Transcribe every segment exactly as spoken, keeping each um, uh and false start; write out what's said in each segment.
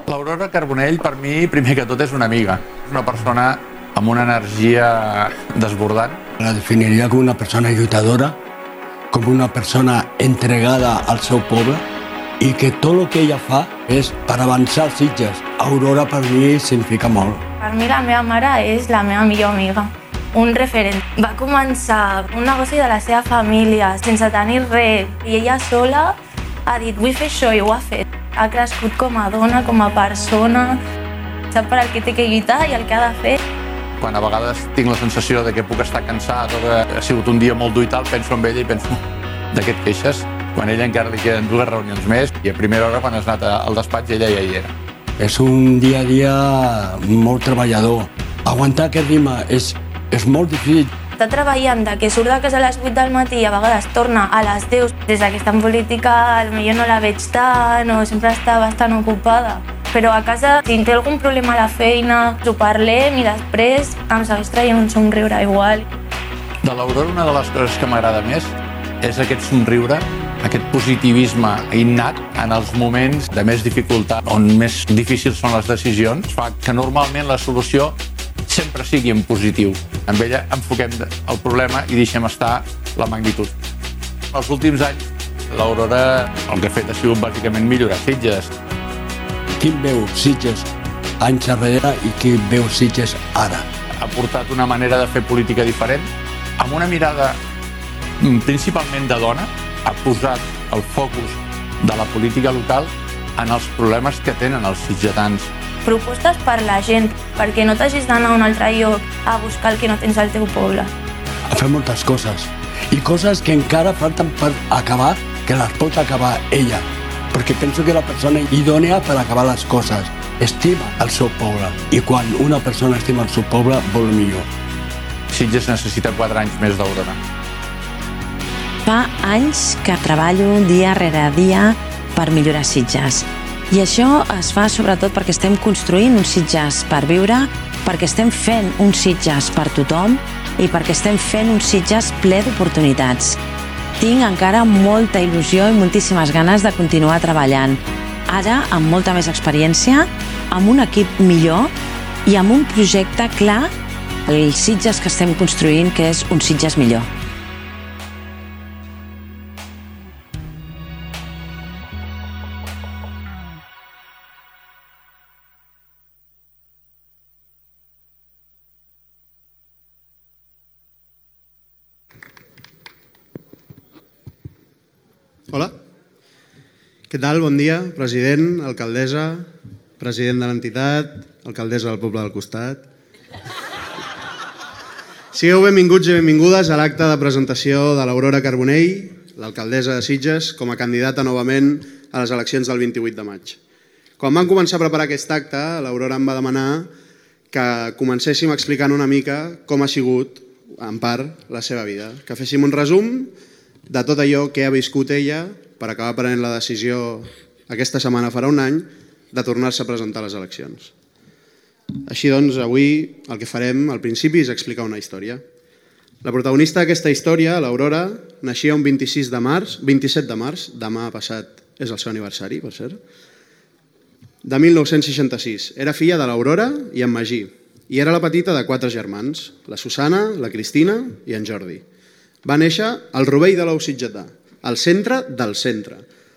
L'Aurora Carbonell, per mi, primer que tot, és una amiga. És una persona amb una energia desbordant. La definiria com una persona lluitadora, com una persona entregada al seu poble i que tot el que ella fa és per avançar els Sitges. Aurora per mi significa molt. Per mi la meva mare és la meva millor amiga, un referent. Va començar un negoci de la seva família sense tenir res i ella sola ha dit vull fer això i ho ha fet. Ha crescut com a dona, com a persona, sap per al que té que lluitar i el que ha de fer. Quan a vegades tinc la sensació de que puc estar cansat o que ha sigut un dia molt dur i tal, penso en ella i penso de què et queixes? Quan a ella encara li queden dues reunions més i a primera hora quan has anat al despatx ella ja hi era. És un dia a dia molt treballador. Aguantar aquest ritme és, és molt difícil. Està treballant de que surt de casa a les vuit del matí i a vegades torna a les deu. Des que està en política potser no la veig tant o sempre està bastant ocupada. Però a casa, si té algun problema a la feina, ho parlem i després em segueix traient un somriure igual. De l'Aurora, una de les coses que m'agrada més és aquest somriure, aquest positivisme innat en els moments de més dificultat, on més difícils són les decisions, fa que normalment la solució sempre sigui en positiu. Amb ella enfoquem el problema i deixem estar la magnitud. Els últims anys, l'Aurora el que ha fet ha sigut bàsicament millorar Sitges. Qui veu Sitges anys enrere i qui veu Sitges ara? Ha portat una manera de fer política diferent, amb una mirada principalment de dona, ha posat el focus de la política local en els problemes que tenen els sitgetans. Propostes per la gent, perquè no t'hagis d'anar a un altre lloc a buscar el que no tens al teu poble. Ha fet moltes coses, i coses que encara falten per acabar, que les pot acabar ella, perquè penso que la persona idònea per acabar les coses estima el seu poble, i quan una persona estima el seu poble vol millor. Sitges necessita quatre anys més d'Aurora. Fa anys que treballo dia rere dia per millorar Sitges. I això es fa sobretot perquè estem construint uns Sitges per viure, perquè estem fent uns Sitges per tothom i perquè estem fent uns Sitges ple d'oportunitats. Tinc encara molta il·lusió i moltíssimes ganes de continuar treballant. Ara, amb molta més experiència, amb un equip millor i amb un projecte clar, els Sitges que estem construint, que és un Sitges millor. Hola. Què tal? Bon dia, president, alcaldessa, president de l'entitat, alcaldessa del poble del costat. Sigueu benvinguts i benvingudes a l'acte de presentació de l'Aurora Carbonell, l'alcaldessa de Sitges, com a candidata novament a les eleccions del vint-i-vuit de maig. Quan vam començar a preparar aquest acte, l'Aurora em va demanar que comencéssim explicant una mica com ha sigut, en part, la seva vida. Que féssim un resum de tot allò que ha viscut ella per acabar prenent la decisió aquesta setmana farà un any de tornar-se a presentar a les eleccions. Així doncs, avui el que farem al principi és explicar una història. La protagonista d'aquesta història, l'Aurora, naixia un vint-i-sis de març, vint-i-set de març, demà passat és el seu aniversari, per cert, de mil nou-cents seixanta-sis. Era filla de l'Aurora i en Magí, i era la petita de quatre germans, la Susana, la Cristina i en Jordi. Va néixer al Rovell de l'Ou sitgetà, al centre del centre,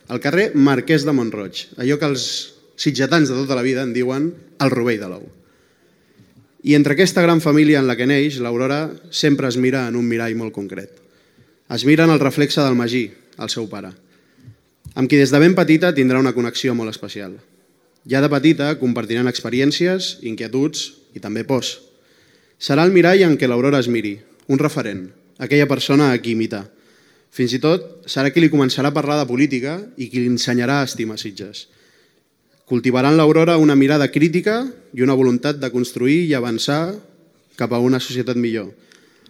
al carrer Marquès de Mont-roig, allò que els sitgetans de tota la vida en diuen el Rovell de l'Ou. I entre aquesta gran família en la que neix, l'Aurora sempre es mira en un mirall molt concret. Es mira en el reflexe del Magí, el seu pare, amb qui des de ben petita tindrà una connexió molt especial. Ja de petita compartiran experiències, inquietuds i també pors. Serà el mirall en què l'Aurora es miri, un referent, aquella persona a qui imitar. Fins i tot serà qui li començarà a parlar de política i qui li ensenyarà a estimar Sitges. Cultivaran l'Aurora una mirada crítica i una voluntat de construir i avançar cap a una societat millor.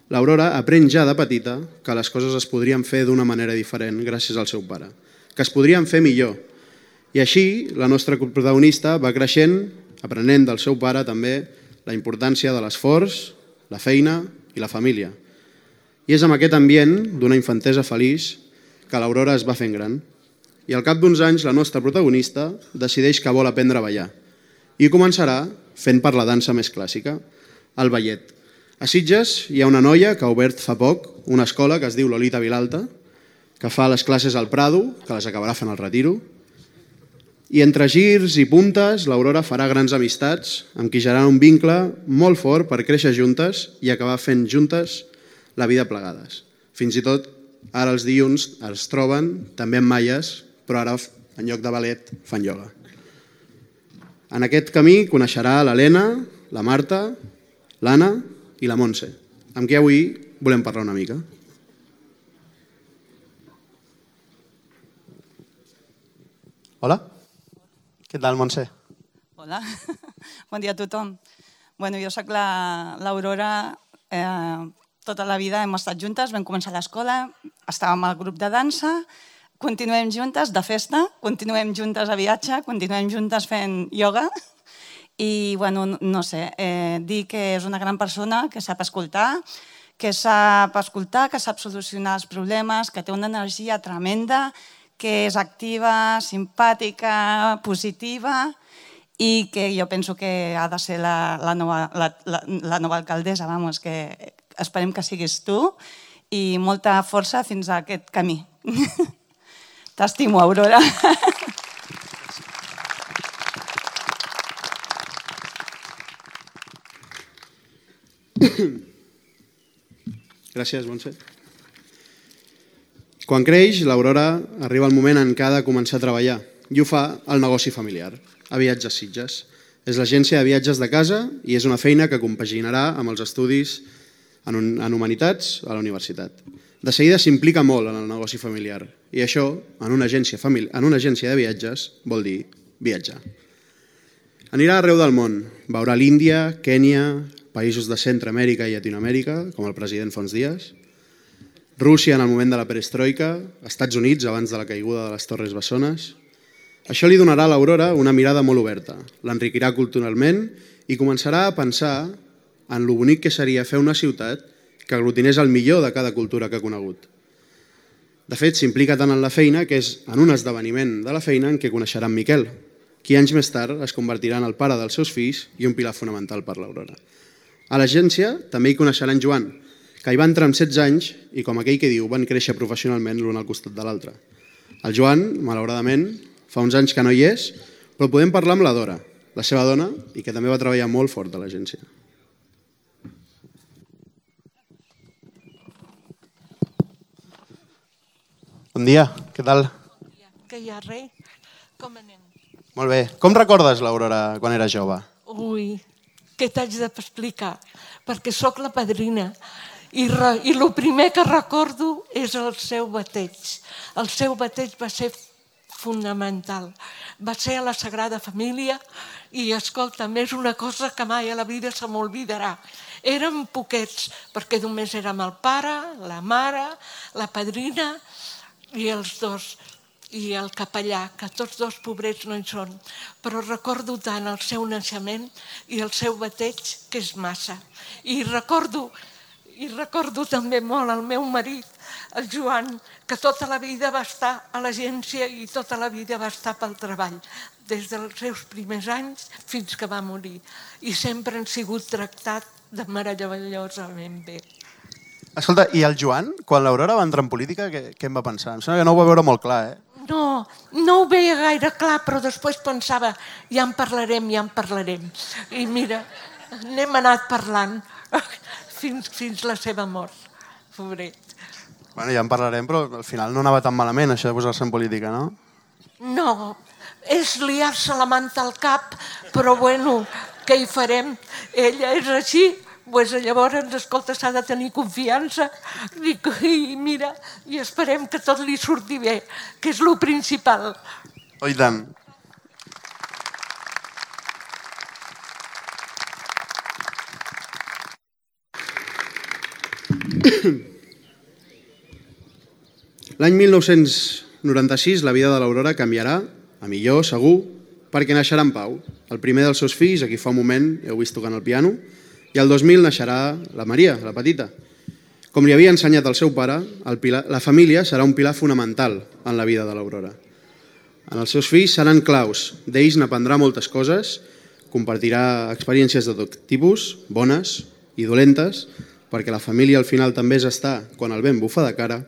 L'Aurora aprèn ja de petita que les coses es podrien fer d'una manera diferent gràcies al seu pare, que es podrien fer millor. I així la nostra protagonista va creixent, aprenent del seu pare també la importància de l'esforç, la feina i la família. I és amb aquest ambient d'una infantesa feliç que l'Aurora es va fent gran. I al cap d'uns anys la nostra protagonista decideix que vol aprendre a ballar, i començarà fent per la dansa més clàssica, el ballet. A Sitges hi ha una noia que ha obert fa poc una escola que es diu Lolita Vilalta, que fa les classes al Prado, que les acabarà fent al Retiro, i entre girs i puntes l'Aurora farà grans amistats amb qui generarà un vincle molt fort per créixer juntes i acabar fent juntes la vida plegades. Fins i tot ara els dilluns es troben també en malles, però ara en lloc de ballet fan ioga. En aquest camí coneixerà l'Helena, la Marta, l'Anna i la Montse, amb qui avui volem parlar una mica. Hola. Què tal, Montse? Hola, bon dia a tothom. Bueno, jo soc l'Aurora, eh, tota la vida hem estat juntes, vam començar a l'escola, estàvem al grup de dansa, continuem juntes de festa, continuem juntes a viatge, continuem juntes fent ioga i, bueno, no sé, eh, dir que és una gran persona, que sap escoltar, que sap escoltar, que sap solucionar els problemes, que té una energia tremenda, que és activa, simpàtica, positiva i que jo penso que ha de ser la, la, nova, la, la, la nova alcaldessa, vamos, que esperem que siguis tu i molta força fins a aquest camí. T'estimo, Aurora. Gràcies, Montse. Quan creix, l'Aurora arriba el moment en què ha de començar a treballar i ho fa al negoci familiar, a Viatges Sitges. És l'agència de viatges de casa i és una feina que compaginarà amb els estudis en, un, en Humanitats a la universitat. De seguida s'implica molt en el negoci familiar i això, en una agència, famili- en una agència de viatges, vol dir viatjar. Anirà arreu del món, veurà l'Índia, Kènia, països de Centreamèrica i Llatinoamèrica, com el president fa uns dies, Rússia en el moment de la perestroika, Estats Units abans de la caiguda de les Torres Bessones. Això li donarà a l'Aurora una mirada molt oberta, l'enriquirà culturalment i començarà a pensar en lo bonic que seria fer una ciutat que aglutinés el millor de cada cultura que ha conegut. De fet, s'implica tant en la feina que és en un esdeveniment de la feina en què coneixerà en Miquel, qui anys més tard es convertirà en el pare dels seus fills i un pilar fonamental per l'Aurora. A l'agència també hi coneixerà en Joan, que hi va entrar amb setze anys i, com aquell que diu, van créixer professionalment l'un al costat de l'altre. El Joan, malauradament, fa uns anys que no hi és, però podem parlar amb la Dora, la seva dona, i que també va treballar molt fort a l'agència. Bon dia, què tal? Que hi ha res? Com anem? Molt bé. Com recordes l'Aurora quan era jove? Ui, què t'haig d'explicar? Perquè sóc la padrina i, re, i el primer que recordo és el seu bateig. El seu bateig va ser fonamental. Va ser a la Sagrada Família i, escolta'm, és una cosa que mai a la vida se m'oblidarà. Érem poquets, perquè només érem el pare, la mare, la padrina i els dos, i el capellà, que tots dos pobrets no hi són. Però recordo tant el seu naixement i el seu bateig, que és massa. I recordo, i recordo també molt el meu marit, el Joan, que tota la vida va estar a l'agència i tota la vida va estar pel treball, des dels seus primers anys fins que va morir. I sempre han sigut tractat de meravellosament bé. Escolta, i el Joan, quan l'Aurora va entrar en política, què, què em va pensar? Em sembla que no ho va veure molt clar, eh? No, no ho veia gaire clar, però després pensava, ja en parlarem, ja en parlarem. I mira, n'hem anat parlant fins, fins la seva mort, pobret. Bueno, ja en parlarem, però al final no anava tan malament, això de posar-se en política, no? No, és liar-se la manta al cap, però bueno, què hi farem? Ella és així, doncs llavors, escolta, s'ha de tenir confiança i, i mira, i esperem que tot li surti bé, que és el principal. Oh, i tant. L'any mil nou-cents noranta-sis la vida de l'Aurora canviarà, a millor, segur, perquè naixerà en Pau, el primer dels seus fills, aquí fa un moment heu vist tocant el piano, i el dos mil naixerà la Maria, la petita. Com li havia ensenyat el seu pare, el pilar, la família serà un pilar fonamental en la vida de l'Aurora. En els seus fills seran claus, d'ells n'aprendrà moltes coses, compartirà experiències de tot tipus, bones i dolentes, perquè la família al final també és estar quan el vent bufa de cara.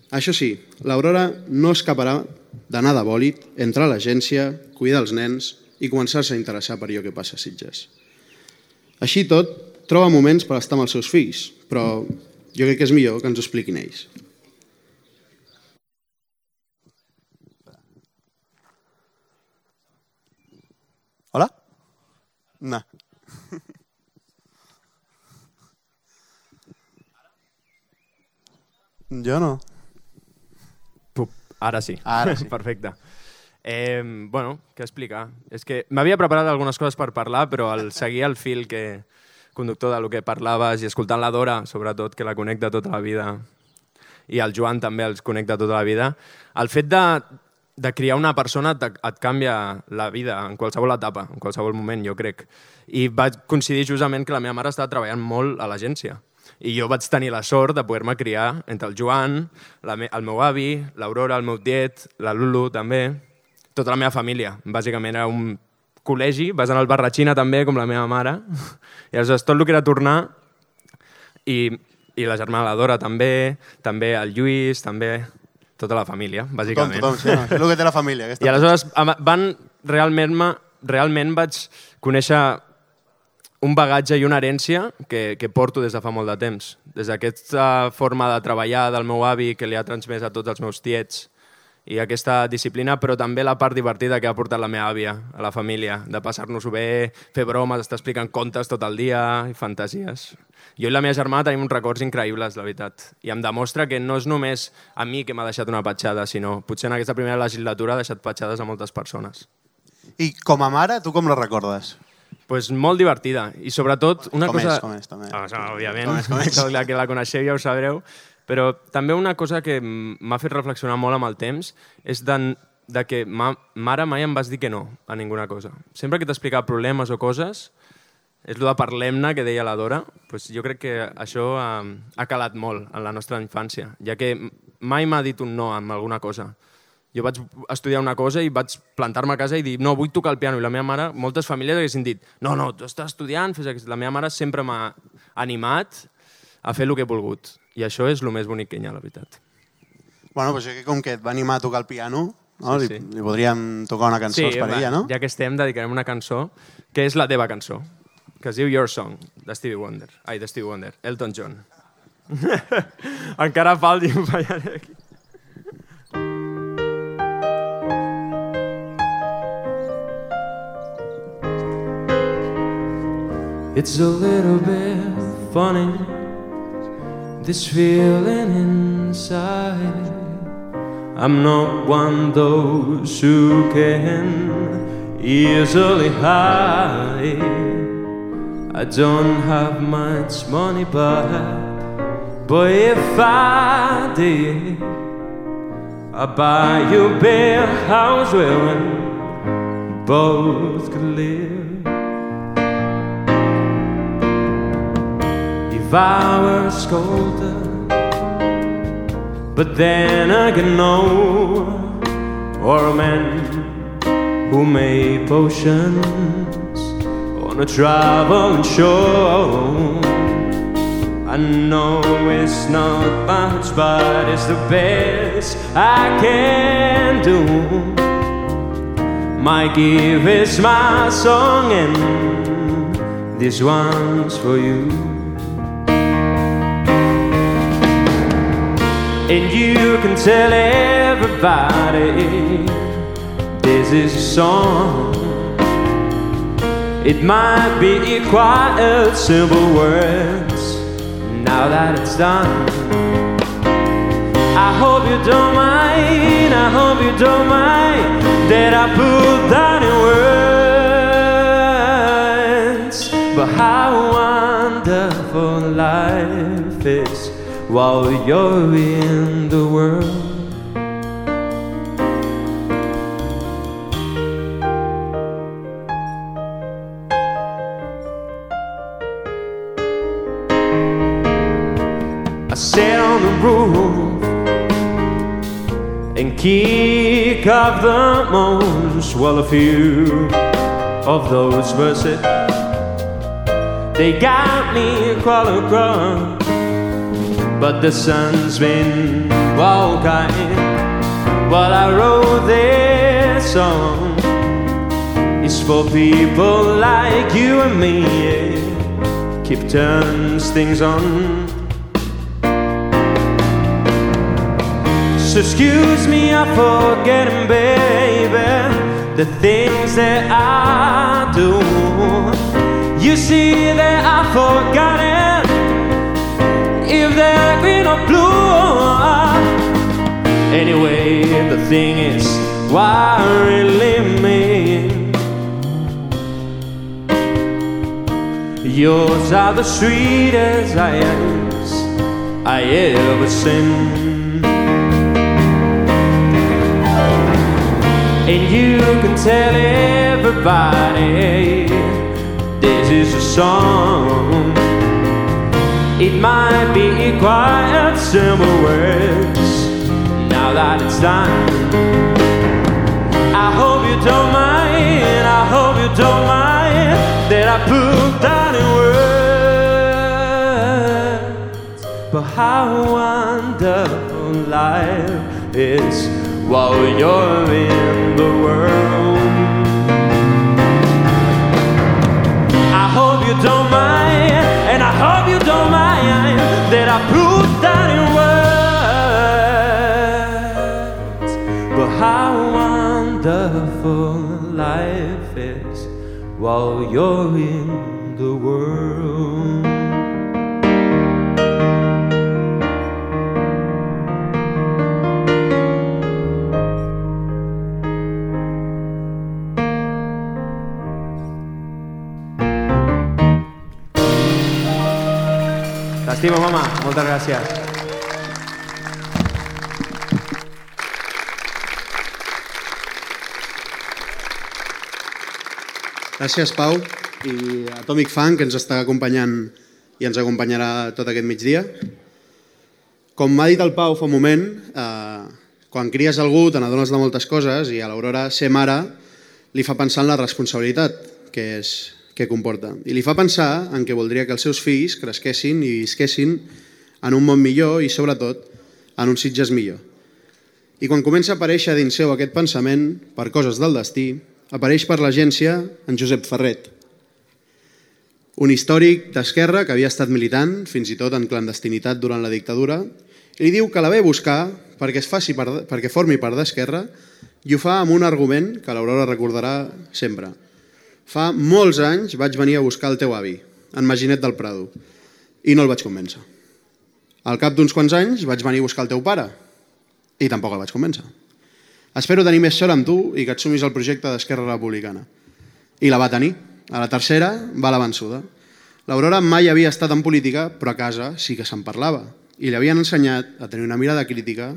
Això sí, l'Aurora no escaparà d'anar de bòlit, entrar a l'agència, cuidar els nens i començar-se a interessar per allò que passa a Sitges. Així tot, troba moments per estar amb els seus fills, però jo crec que és millor que ens ho expliquin ells. Hola? No. Jo no. Pup, ara sí. Ara sí. Perfecte. Eh, bueno, què explicar? És que m'havia preparat algunes coses per parlar, però al seguir el fil que conductor del que parlaves i escoltant la Dora, sobretot, que la connecta tota la vida, i el Joan també els connecta tota la vida, el fet de, de criar una persona et, et canvia la vida en qualsevol etapa, en qualsevol moment, jo crec. I va coincidir justament que la meva mare estava treballant molt a l'agència. I jo vaig tenir la sort de poder-me criar entre el Joan, la me el meu avi, l'Aurora, el meu tiet, la Lulu també, tota la meva família. Bàsicament era un col·legi, vas anar al Barratxina també, com la meva mare, i aleshores tot el que era tornar, i, i la germana la Dora també, també el Lluís, també tota la família, bàsicament. Tothom, tothom, sí, no? És el que té la família. I aleshores van, realment, realment vaig conèixer un bagatge i una herència que, que porto des de fa molt de temps. Des d'aquesta forma de treballar del meu avi que li ha transmès a tots els meus tiets i aquesta disciplina, però també la part divertida que ha portat la meva àvia a la família, de passar-nos-ho bé, fer bromes, estar explicant contes tot el dia i fantasies. Jo i la meva germana tenim uns records increïbles, la veritat. I em demostra que no és només a mi que m'ha deixat una petjada, sinó potser en aquesta primera legislatura ha deixat petjades a moltes persones. I com a mare, tu com la recordes? Pues molt divertida. I sobretot una com cosa... És, com és, també. Ah, òbviament, com és, com és. la que la coneixeu ja ho sabreu. Però també una cosa que m'ha fet reflexionar molt amb el temps és de, de que ma mare mai em vas dir que no a ninguna cosa. Sempre que t'explicava problemes o coses, és el de parlem-ne que deia la Dora, pues jo crec que això ha, ha calat molt en la nostra infància, ja que mai m'ha dit un no amb alguna cosa. Jo vaig estudiar una cosa i vaig plantar-me a casa i dir no, vull tocar el piano. I la meva mare, moltes famílies haguessin dit no, no, tu estàs estudiant, fes aquest... La meva mare sempre m'ha animat a fer el que he volgut. I això és el més bonic que hi ha, la veritat. Bueno, doncs que com que et va animar a tocar el piano, no? Sí, sí. Li, li podríem tocar una cançó sí, per ella, no? Ja que estem, dedicarem una cançó que és la teva cançó, que es diu Your Song, de Stevie Wonder. Ai, de Stevie Wonder, Elton John. Encara falti un fallaré aquí. It's a little bit funny, this feeling inside. I'm not one of those who can easily hide. I don't have much money, but, but if I did, I'd buy you a big house where we both could live. If I were a sculptor, but then again no, or a man who made potions on a traveling show. I know it's not much, but it's the best I can do. My gift is my song, and this one's for you. And you can tell everybody this is a song. It might be quite simple words now that it's done. I hope you don't mind, I hope you don't mind that I put that in words. But how wonderful life is while you're in the world. I sit on the roof and kick up the most. Well, a few of those verses. They got me all across, but the sun's been all kind while I wrote this song. It's for people like you and me, yeah. Keep turns things on. So excuse me, I'm forgetting, baby, the things that I do. You see that I've forgotten if they're green or blue. Anyway, the thing is, why really me? Yours are the sweetest eyes I ever seen. And you can tell everybody this is a song. It might be quite simple words now that it's done. I hope you don't mind, I hope you don't mind that I put that in words. But how wonderful life is while you're in the world. I hope you don't mind, and I hope you don't mind that I put that in words. But how wonderful life is while you're in the world. T'estimo, mama. Moltes gràcies. Gràcies, Pau, i Atomic Funk, que ens està acompanyant i ens acompanyarà tot aquest migdia. Com m'ha dit el Pau fa un moment, eh, quan cries algú te n'adones de moltes coses i a l'Aurora ser mare li fa pensar en la responsabilitat que és que comporta. I li fa pensar en què voldria que els seus fills cresquessin i visquessin en un món millor i, sobretot, en un Sitges millor. I quan comença a aparèixer dins seu aquest pensament, per coses del destí, apareix per l'agència en Josep Ferret, un històric d'esquerra que havia estat militant, fins i tot en clandestinitat durant la dictadura, i li diu que la ve a buscar perquè, es faci per, perquè formi part d'Esquerra i ho fa amb un argument que l'Aurora recordarà sempre. Fa molts anys vaig venir a buscar el teu avi, en Maginet del Prado, i no el vaig convèncer. Al cap d'uns quants anys vaig venir a buscar el teu pare, i tampoc el vaig convèncer. Espero tenir més sort amb tu i que et sumis al projecte d'Esquerra Republicana. I la va tenir. A la tercera va la vençuda. L'Aurora mai havia estat en política, però a casa sí que se'n parlava. I li havien ensenyat a tenir una mirada crítica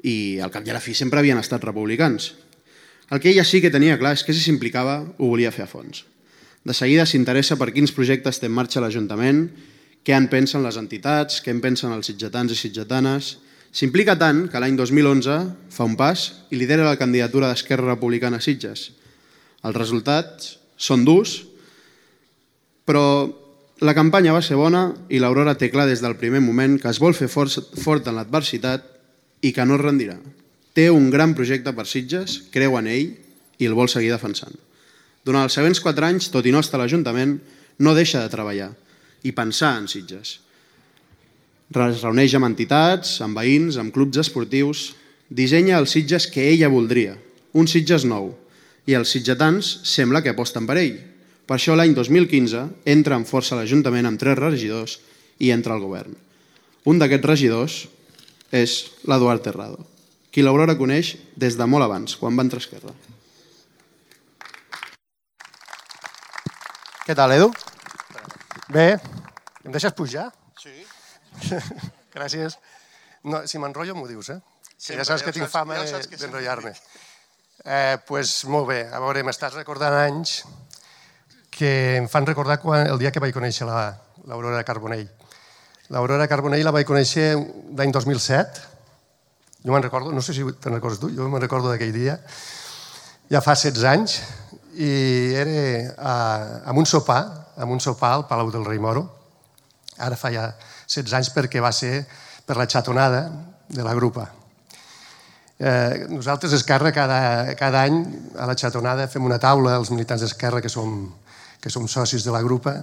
i al cap i a la fi sempre havien estat republicans. El que ella sí que tenia clar és que si s'implicava ho volia fer a fons. De seguida s'interessa per quins projectes té en marxa l'Ajuntament, què en pensen les entitats, què en pensen els sitgetans i sitgetanes. S'implica tant que l'any dos mil onze fa un pas i lidera la candidatura d'Esquerra Republicana a Sitges. Els resultats són durs, però la campanya va ser bona i l'Aurora té clar des del primer moment que es vol fer fort en l'adversitat i que no es rendirà. Té un gran projecte per Sitges, creu en ell i el vol seguir defensant. Durant els següents quatre anys, tot i no estar a l'Ajuntament, no deixa de treballar i pensar en Sitges. Es reuneix amb entitats, amb veïns, amb clubs esportius, dissenya els Sitges que ella voldria, un Sitges nou, i els sitgetans sembla que aposten per ell. Per això l'any dos mil quinze entra amb força a l'Ajuntament amb tres regidors i entra al govern. Un d'aquests regidors és l'Eduard Terrado, qui l'Aurora coneix des de molt abans, quan va entrar a Esquerra. Què tal, Edu? Bé, em deixes pujar? Sí. Gràcies. No, si m'enrotllo m'ho dius, eh? Sempre, ja saps que ja tinc saps, fama ja saps que d'enrotllar-me. Eh, pues, molt bé, a veure, m'estàs recordant anys que em fan recordar quan, el dia que vaig conèixer l'Aurora Carbonell. L'Aurora Carbonell la vaig conèixer l'any dos mil set. Jo me'n recordo, no sé si te'n recordes tu, jo me'n recordo d'aquell dia. Ja fa setze anys i era a, amb un sopar, amb un sopar al Palau del Rei Moro. Ara fa ja setze anys perquè va ser per la xatonada de la grupa. Eh, nosaltres, Esquerra, cada, cada any a la xatonada fem una taula, els militants d'Esquerra que som, que som socis de la grupa,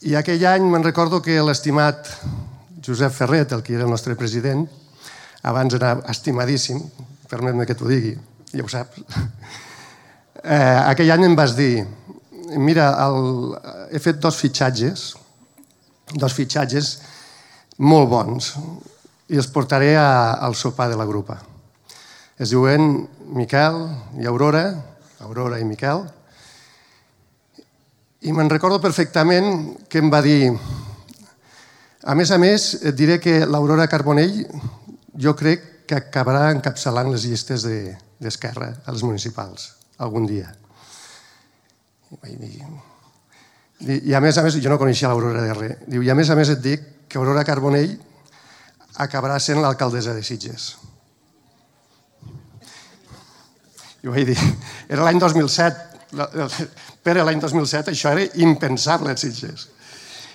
i aquell any me'n recordo que l'estimat Josep Ferret, el que era el nostre president, abans era estimadíssim, permet-me que t'ho digui, ja ho saps, eh, aquell any em vas dir, mira, el, he fet dos fitxatges, dos fitxatges molt bons, i els portaré a, al sopar de la grupa. Es diuen Miquel i Aurora, Aurora i Miquel, i me'n recordo perfectament que em va dir, a més a més, et diré que l'Aurora Carbonell jo crec que acabarà encapçalant les llistes d'Esquerra a les municipals, algun dia. I a més a més, jo no coneixia l'Aurora de res, diu, i a més a més et dic que Aurora Carbonell acabarà sent l'alcaldessa de Sitges. I vaig dir, era l'any dos mil set, per l'any dos mil set això era impensable a Sitges.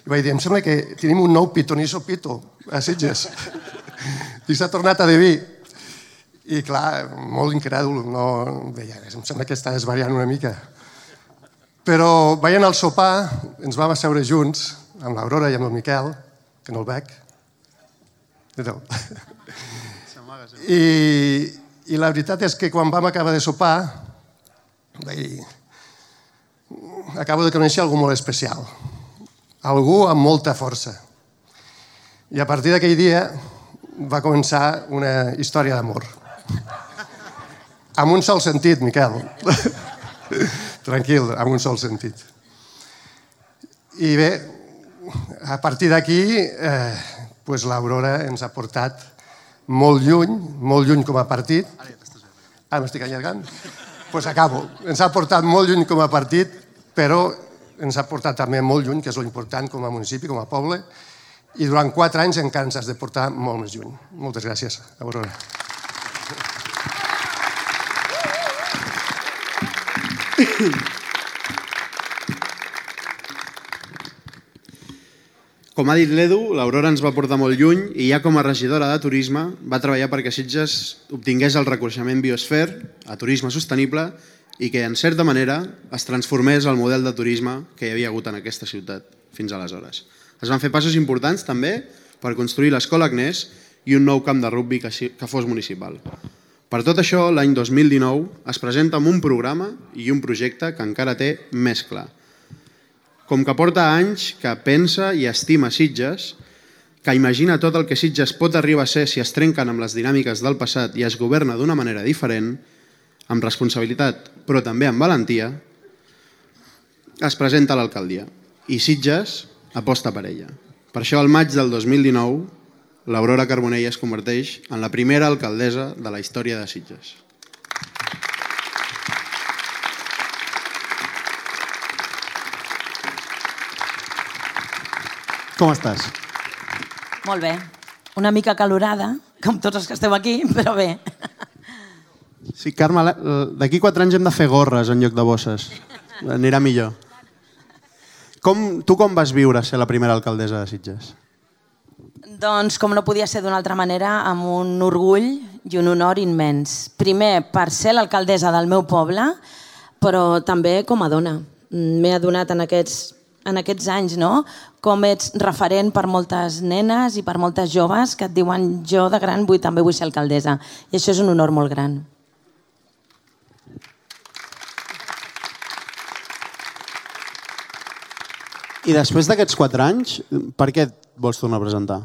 I vaig dir, em sembla que tenim un nou pitoniso pito a Sitges. I s'ha tornat a dir. I clar, molt incrèdul, no, deia, em sembla que està desvariant una mica. Però veient el sopar, ens vam asseure junts, amb l'Aurora i amb el Miquel, que no el veig. I, I la veritat és que quan vam acabar de sopar, vaig dir, acabo de conèixer algú molt especial, algú amb molta força. I a partir d'aquell dia va començar una història d'amor. Amb un sol sentit, Miquel. Tranquil, amb un sol sentit. I bé, a partir d'aquí, eh, pues l'Aurora ens ha portat molt lluny, molt lluny com a partit. Ah, m'estic allargant? Doncs pues acabo. Ens ha portat molt lluny com a partit, però ens ha portat també molt lluny, que és l'important com a municipi, com a poble, i durant quatre anys encara ens has de portar molt més lluny. Moltes gràcies, Aurora. Com ha dit l'Edu, l'Aurora ens va portar molt lluny i ja com a regidora de turisme va treballar perquè Sitges obtingués el reconeixement Biosfera a turisme sostenible i que, en certa manera, es transformés el model de turisme que hi havia hagut en aquesta ciutat fins aleshores. Es van fer passos importants també per construir l'Escola Agnès i un nou camp de rugbi que fos municipal. Per tot això, l'any dos mil dinou es presenta amb un programa i un projecte que encara té més clar. Com que porta anys que pensa i estima Sitges, que imagina tot el que Sitges pot arribar a ser si es trenquen amb les dinàmiques del passat i es governa d'una manera diferent, amb responsabilitat, però també amb valentia, es presenta a l'alcaldia. I Sitges aposta per ella. Per això, al maig del dos mil dinou, l'Aurora Carbonell es converteix en la primera alcaldessa de la història de Sitges. Com estàs? Molt bé. Una mica calorada, com tots els que esteu aquí, però bé. Sí, Carme, d'aquí quatre anys hem de fer gorres en lloc de bosses. Anirà millor. Com, tu com vas viure ser la primera alcaldessa de Sitges? Doncs, com no podia ser d'una altra manera, amb un orgull i un honor immens. Primer, per ser l'alcaldessa del meu poble, però també com a dona. M'he adonat en aquests, en aquests anys, no?, com ets referent per moltes nenes i per moltes joves que et diuen jo de gran vull, també vull ser alcaldessa. I això és un honor molt gran. I després d'aquests quatre anys, per què et vols tornar a presentar?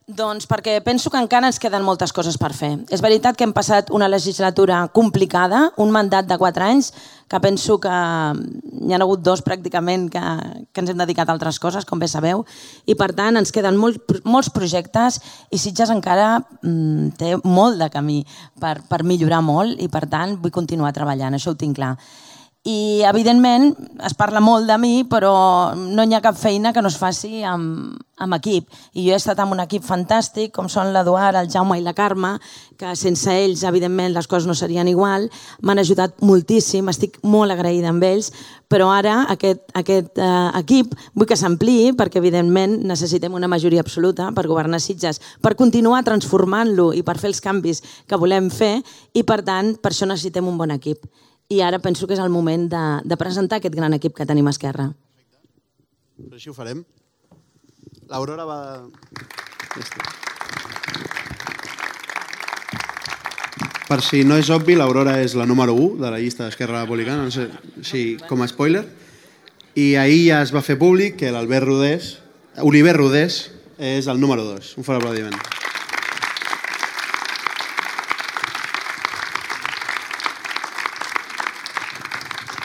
Doncs perquè penso que encara ens queden moltes coses per fer. És veritat que hem passat una legislatura complicada, un mandat de quatre anys, que penso que n'hi ha hagut dos pràcticament que, que ens hem dedicat a altres coses, com bé sabeu, i per tant ens queden molt, molts projectes i Sitges encara mm, té molt de camí per, per millorar molt i per tant vull continuar treballant, això ho tinc clar. I, evidentment, es parla molt de mi, però no hi ha cap feina que no es faci amb, amb equip. I jo he estat amb un equip fantàstic, com són l'Eduard, el Jaume i la Carme, que sense ells, evidentment, les coses no serien igual. M'han ajudat moltíssim, estic molt agraïda amb ells, però ara aquest, aquest eh, equip vull que s'ampliï, perquè, evidentment, necessitem una majoria absoluta per governar Sitges, per continuar transformant-lo i per fer els canvis que volem fer, i, per tant, per això necessitem un bon equip. I ara penso que és el moment de, de presentar aquest gran equip que tenim a Esquerra. Perfecte. Així ho farem. L'Aurora va... Per si no és obvi, l'Aurora és la número u de la llista d'Esquerra Republicana, no sé, sí, com a spoiler. I ahir ja es va fer públic que l'Albert Rodés, Oliver Rodés, és el número dos. Un fort aplaudiment.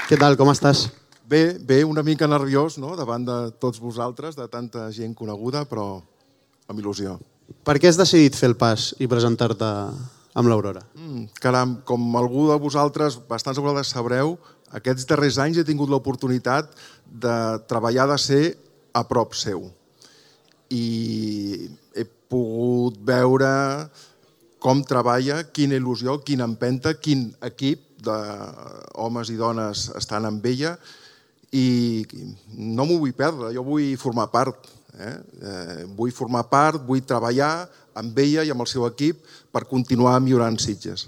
Què tal, com estàs? Bé, bé, una mica nerviós, no?, davant de tots vosaltres, de tanta gent coneguda, però amb il·lusió. Per què has decidit fer el pas i presentar-te amb l'Aurora? Mm, caram, com algú de vosaltres, bastants de vosaltres sabreu, aquests darrers anys he tingut l'oportunitat de treballar, de ser a prop seu. I he pogut veure com treballa, quina il·lusió, quina empenta, quin equip d'homes i dones estan amb ella, i no m'ho vull perdre, jo vull formar part. Eh? Eh, vull formar part, vull treballar amb ella i amb el seu equip per continuar millorant Sitges.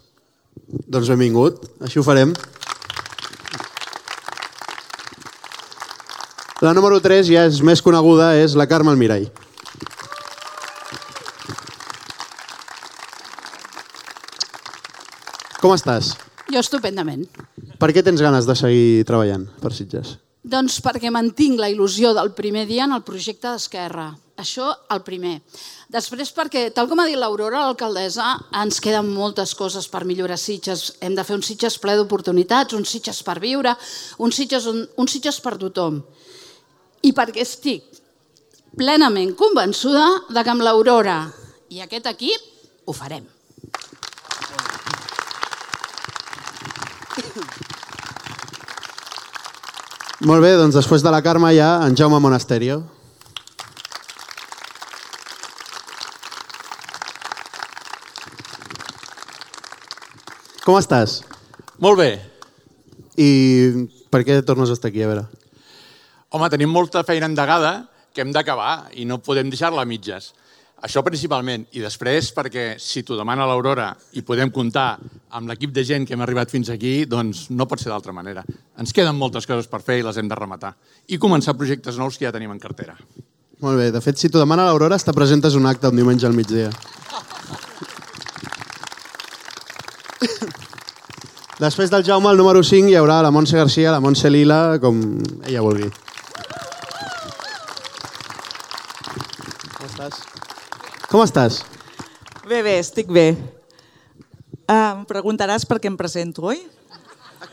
Doncs benvingut, així ho farem. La número tres ja és més coneguda, és la Carme Almirall. Com estàs? Jo estupendament. Per què tens ganes de seguir treballant per Sitges? Doncs perquè mantinc la il·lusió del primer dia en el projecte d'Esquerra. Això, el primer. Després perquè, tal com ha dit l'Aurora, l'alcaldessa, ens queden moltes coses per millorar Sitges. Hem de fer un Sitges ple d'oportunitats, un Sitges per viure, un Sitges, un Sitges per tothom. I perquè estic plenament convençuda de que amb l'Aurora i aquest equip ho farem. Molt bé, doncs després de la Carme hi ha en Jaume Monasterio. Com estàs? Molt bé. I per què tornes a estar aquí, a veure? Home, tenim molta feina endegada que hem d'acabar i no podem deixar-la a mitges. Això principalment. I després perquè si t'ho demana l'Aurora i podem comptar amb l'equip de gent que hem arribat fins aquí, doncs no pot ser d'altra manera. Ens queden moltes coses per fer i les hem de rematar. I començar projectes nous que ja tenim en cartera. Molt bé. De fet, si t'ho demana l'Aurora, te presentes un acte un diumenge al migdia. Després del Jaume, el número cinc, hi haurà la Montse Garcia, la Montse Lila, com ella vulgui. Com estàs? Com estàs? Bé, bé, estic bé. Uh, em preguntaràs per què em presento, oi?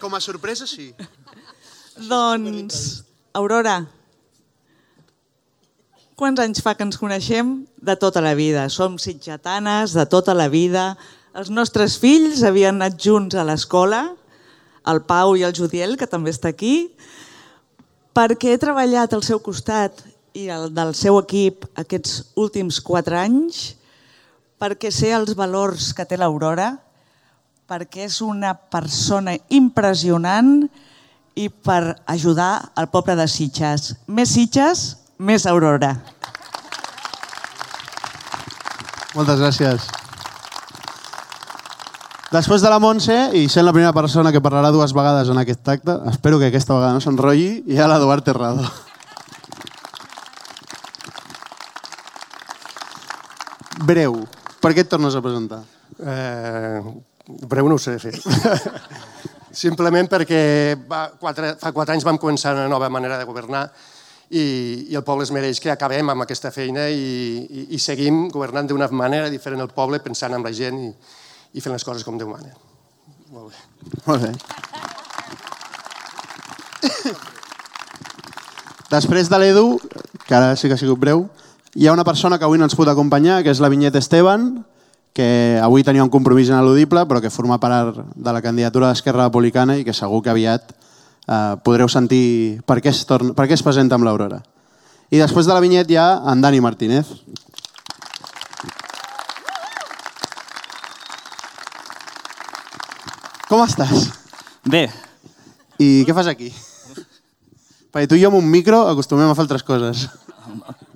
Com a sorpresa, sí. Doncs, Aurora, quants anys fa que ens coneixem? De tota la vida. Som sitgetanes de tota la vida. Els nostres fills havien anat junts a l'escola, el Pau i el Judiel, que també està aquí, perquè he treballat al seu costat i el del seu equip aquests últims quatre anys, perquè sé els valors que té l'Aurora, perquè és una persona impressionant i per ajudar al poble de Sitges. Més Sitges, més Aurora. Moltes gràcies. Després de la Montse, i sent la primera persona que parlarà dues vegades en aquest acte, espero que aquesta vegada no s'enrotlli, hi ha l'Eduard Terrado. Breu. Per què et tornes a presentar? Eh, breu no ho sé fer. Simplement perquè va, quatre, fa quatre anys vam començar una nova manera de governar i, i el poble es mereix que acabem amb aquesta feina i, i, i seguim governant d'una manera diferent el poble, pensant en la gent i, i fent les coses com Déu mana. Molt bé. Molt bé. Després de l'Edu, que ara sí que ha sigut breu, hi ha una persona que avui no ens pot acompanyar, que és la Vinyet Esteban, que avui tenia un compromís ineludible, però que forma part de la candidatura d'Esquerra Republicana i que segur que aviat eh, podreu sentir per què es, torna, per què es presenta amb l'Aurora. I després de la vinyet hi ha en Dani Martínez. Com estàs? Bé. I què fas aquí? Perquè tu i jo amb un micro acostumem a fer altres coses.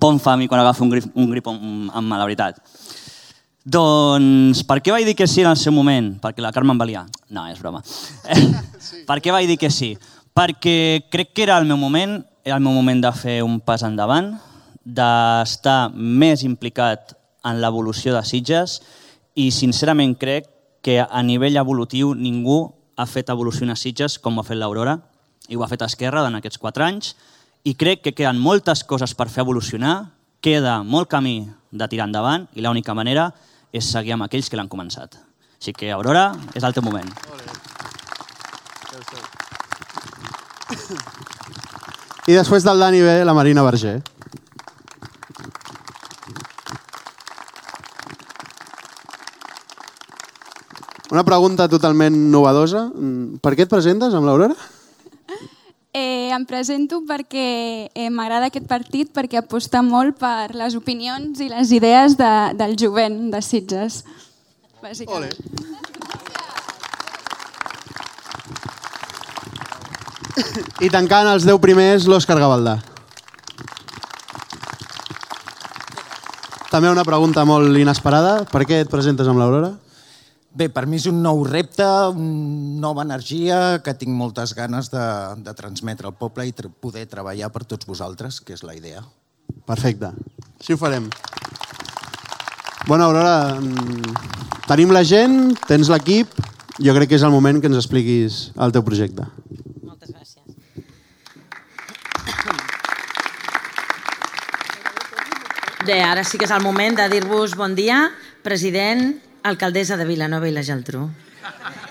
Pon fa a mi quan agafo un grip, un grip amb, amb la veritat. Doncs per què vaig dir que sí en el seu moment? Perquè la Carme em valia. No, és broma. Sí. Per què vaig dir que sí? Perquè crec que era el meu moment, era el meu moment de fer un pas endavant, d'estar més implicat en l'evolució de Sitges i sincerament crec que a nivell evolutiu ningú ha fet evolucionar Sitges com ho ha fet l'Aurora i ho ha fet Esquerra en aquests quatre anys i crec que queden moltes coses per fer evolucionar, queda molt camí de tirar endavant i l'única manera és seguir amb aquells que l'han començat. Així que, Aurora, és el teu moment. I després del Dani ve la Marina Verger. Una pregunta totalment novedosa. Per què et presentes amb l'Aurora? Eh, em presento perquè eh, m'agrada aquest partit, perquè aposta molt per les opinions i les idees de, del jovent de Sitges. Bàsicament. I tancant els deu primers, l'Òscar Gavaldà. També una pregunta molt inesperada. Per què et presentes amb l'Aurora? Bé, per mi és un nou repte, una nova energia que tinc moltes ganes de, de transmetre al poble i tra poder treballar per tots vosaltres, que és la idea. Perfecte. Així ho farem. Bona, Aurora, tenim la gent, tens l'equip, jo crec que és el moment que ens expliquis el teu projecte. Moltes gràcies. Bé, ara sí que és el moment de dir-vos bon dia, president, alcaldessa de Vilanova i la Geltrú.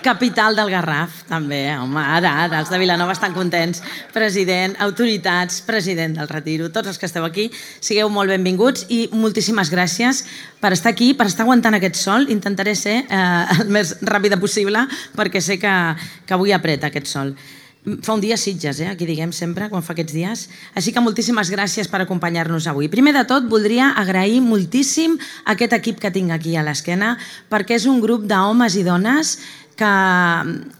Capital del Garraf, també, home, ara, ara, els de Vilanova estan contents. President, autoritats, president del Retiro, tots els que esteu aquí, sigueu molt benvinguts i moltíssimes gràcies per estar aquí, per estar aguantant aquest sol. Intentaré ser eh, el més ràpida possible perquè sé que, que avui apreta aquest sol. Fa un dia Sitges, eh? Aquí diguem sempre, quan fa aquests dies. Així que moltíssimes gràcies per acompanyar-nos avui. Primer de tot, voldria agrair moltíssim aquest equip que tinc aquí a l'esquena, perquè és un grup d'homes i dones que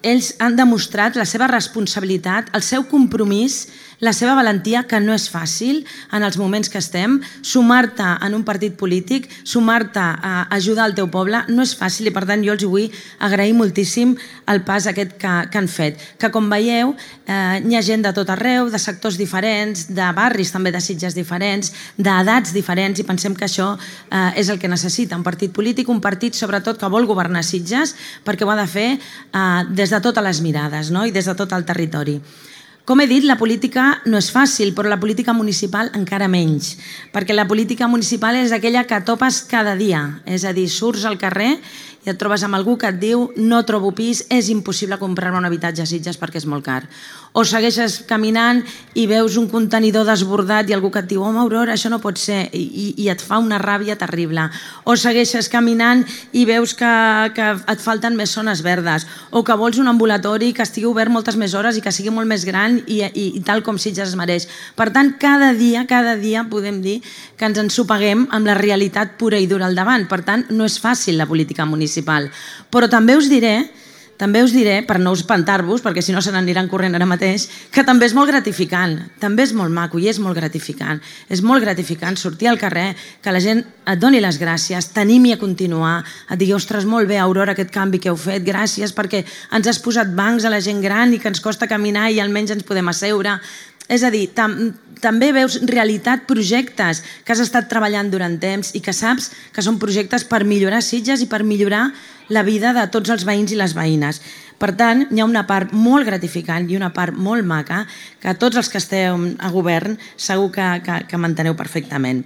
ells han demostrat la seva responsabilitat, el seu compromís, la seva valentia, que no és fàcil en els moments que estem. Sumar-te en un partit polític, sumar-te a ajudar el teu poble, no és fàcil i per tant jo els vull agrair moltíssim el pas aquest que, que han fet. Que com veieu, eh, hi ha gent de tot arreu, de sectors diferents, de barris també de Sitges diferents, d'edats diferents i pensem que això eh, és el que necessita un partit polític, un partit sobretot que vol governar Sitges perquè ho ha de fer eh, des de totes les mirades, no? I des de tot el territori. Com he dit, la política no és fàcil, però la política municipal encara menys, perquè la política municipal és aquella que topes cada dia, és a dir, surts al carrer i et trobes amb algú que et diu no trobo pis, és impossible comprar-me un habitatge a Sitges perquè és molt car. O segueixes caminant i veus un contenidor desbordat i algú que et diu home, Aurora, això no pot ser, i, i et fa una ràbia terrible. O segueixes caminant i veus que, que et falten més zones verdes, o que vols un ambulatori que estigui obert moltes més hores i que sigui molt més gran i, i, i tal com Sitges es mereix. Per tant, cada dia, cada dia podem dir que ens ensopeguem amb la realitat pura i dura al davant. Per tant, no és fàcil la política municipal. Però també us diré També us diré, per no espantar-vos, perquè si no se n'aniran corrent ara mateix, que també és molt gratificant, també és molt maco i és molt gratificant. És molt gratificant sortir al carrer, que la gent et doni les gràcies, t'animi a continuar, et digui, ostres, molt bé, Aurora, aquest canvi que heu fet, gràcies perquè ens has posat bancs a la gent gran i que ens costa caminar i almenys ens podem asseure. És a dir, tam també veus realitat, projectes que has estat treballant durant temps i que saps que són projectes per millorar Sitges i per millorar la vida de tots els veïns i les veïnes. Per tant, hi ha una part molt gratificant i una part molt maca que tots els que esteu a govern segur que, que, que manteneu perfectament.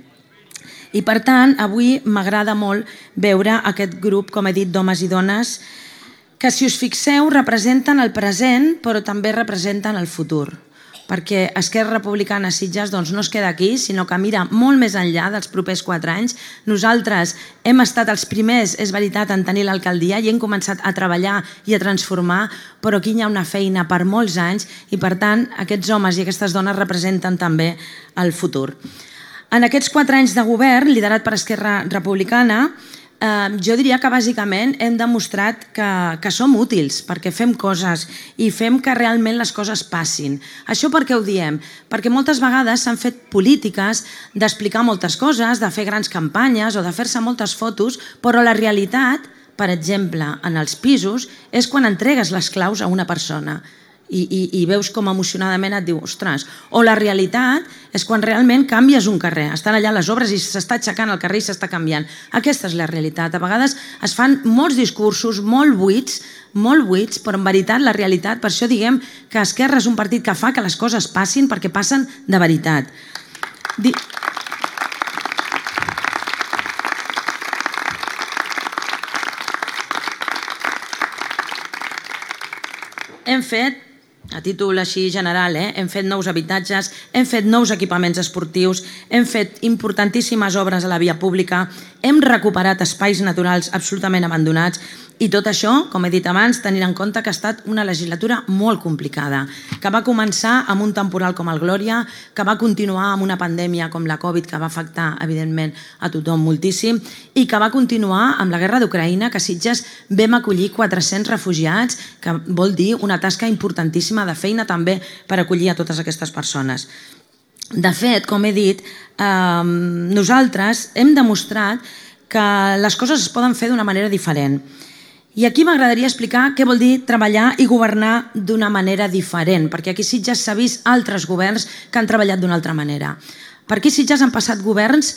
I per tant, avui m'agrada molt veure aquest grup, com he dit, d'homes i dones que, si us fixeu, representen el present però també representen el futur. perquè Esquerra Republicana Sitges doncs, no es queda aquí, sinó que mira molt més enllà dels propers quatre anys. Nosaltres hem estat els primers, és veritat, en tenir l'alcaldia i hem començat a treballar i a transformar, però aquí hi ha una feina per molts anys i, per tant, aquests homes i aquestes dones representen també el futur. En aquests quatre anys de govern, liderat per Esquerra Republicana, eh, jo diria que bàsicament hem demostrat que, que som útils, perquè fem coses i fem que realment les coses passin. Això per què ho diem? Perquè moltes vegades s'han fet polítiques d'explicar moltes coses, de fer grans campanyes o de fer-se moltes fotos, però la realitat, per exemple, en els pisos, és quan entregues les claus a una persona. I, i, i veus com emocionadament et diu, ostres, o la realitat és quan realment canvies un carrer, estan allà les obres i s'està aixecant el carrer i s'està canviant. Aquesta és la realitat. A vegades es fan molts discursos molt buits, molt buits, però en veritat la realitat, per això diguem que Esquerra és un partit que fa que les coses passin perquè passen de veritat. Di... Hem fet, a títol així general, eh? hem fet nous habitatges, hem fet nous equipaments esportius, hem fet importantíssimes obres a la via pública, hem recuperat espais naturals absolutament abandonats i tot això, com he dit abans, tenint en compte que ha estat una legislatura molt complicada, que va començar amb un temporal com el Glòria, que va continuar amb una pandèmia com la Covid, que va afectar, evidentment, a tothom moltíssim, i que va continuar amb la guerra d'Ucraïna, que a Sitges vam acollir quatre-cents refugiats, que vol dir una tasca importantíssima de feina també per acollir a totes aquestes persones. De fet, com he dit, eh, nosaltres hem demostrat que les coses es poden fer d'una manera diferent. I aquí m'agradaria explicar què vol dir treballar i governar d'una manera diferent, perquè aquí a Sitges s'ha vist altres governs que han treballat d'una altra manera. Per aquí a Sitges han passat governs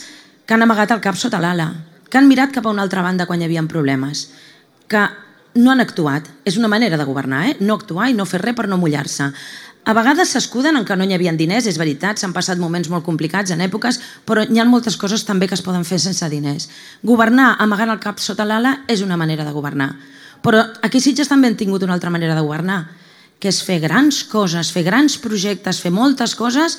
que han amagat el cap sota l'ala, que han mirat cap a una altra banda quan hi havia problemes, que no han actuat. És una manera de governar, eh? No actuar i no fer res per no mullar-se. A vegades s'escuden en que no hi havia diners, és veritat, s'han passat moments molt complicats en èpoques, però hi ha moltes coses també que es poden fer sense diners. Governar amagant el cap sota l'ala és una manera de governar. Però aquí a Sitges també hem tingut una altra manera de governar, que és fer grans coses, fer grans projectes, fer moltes coses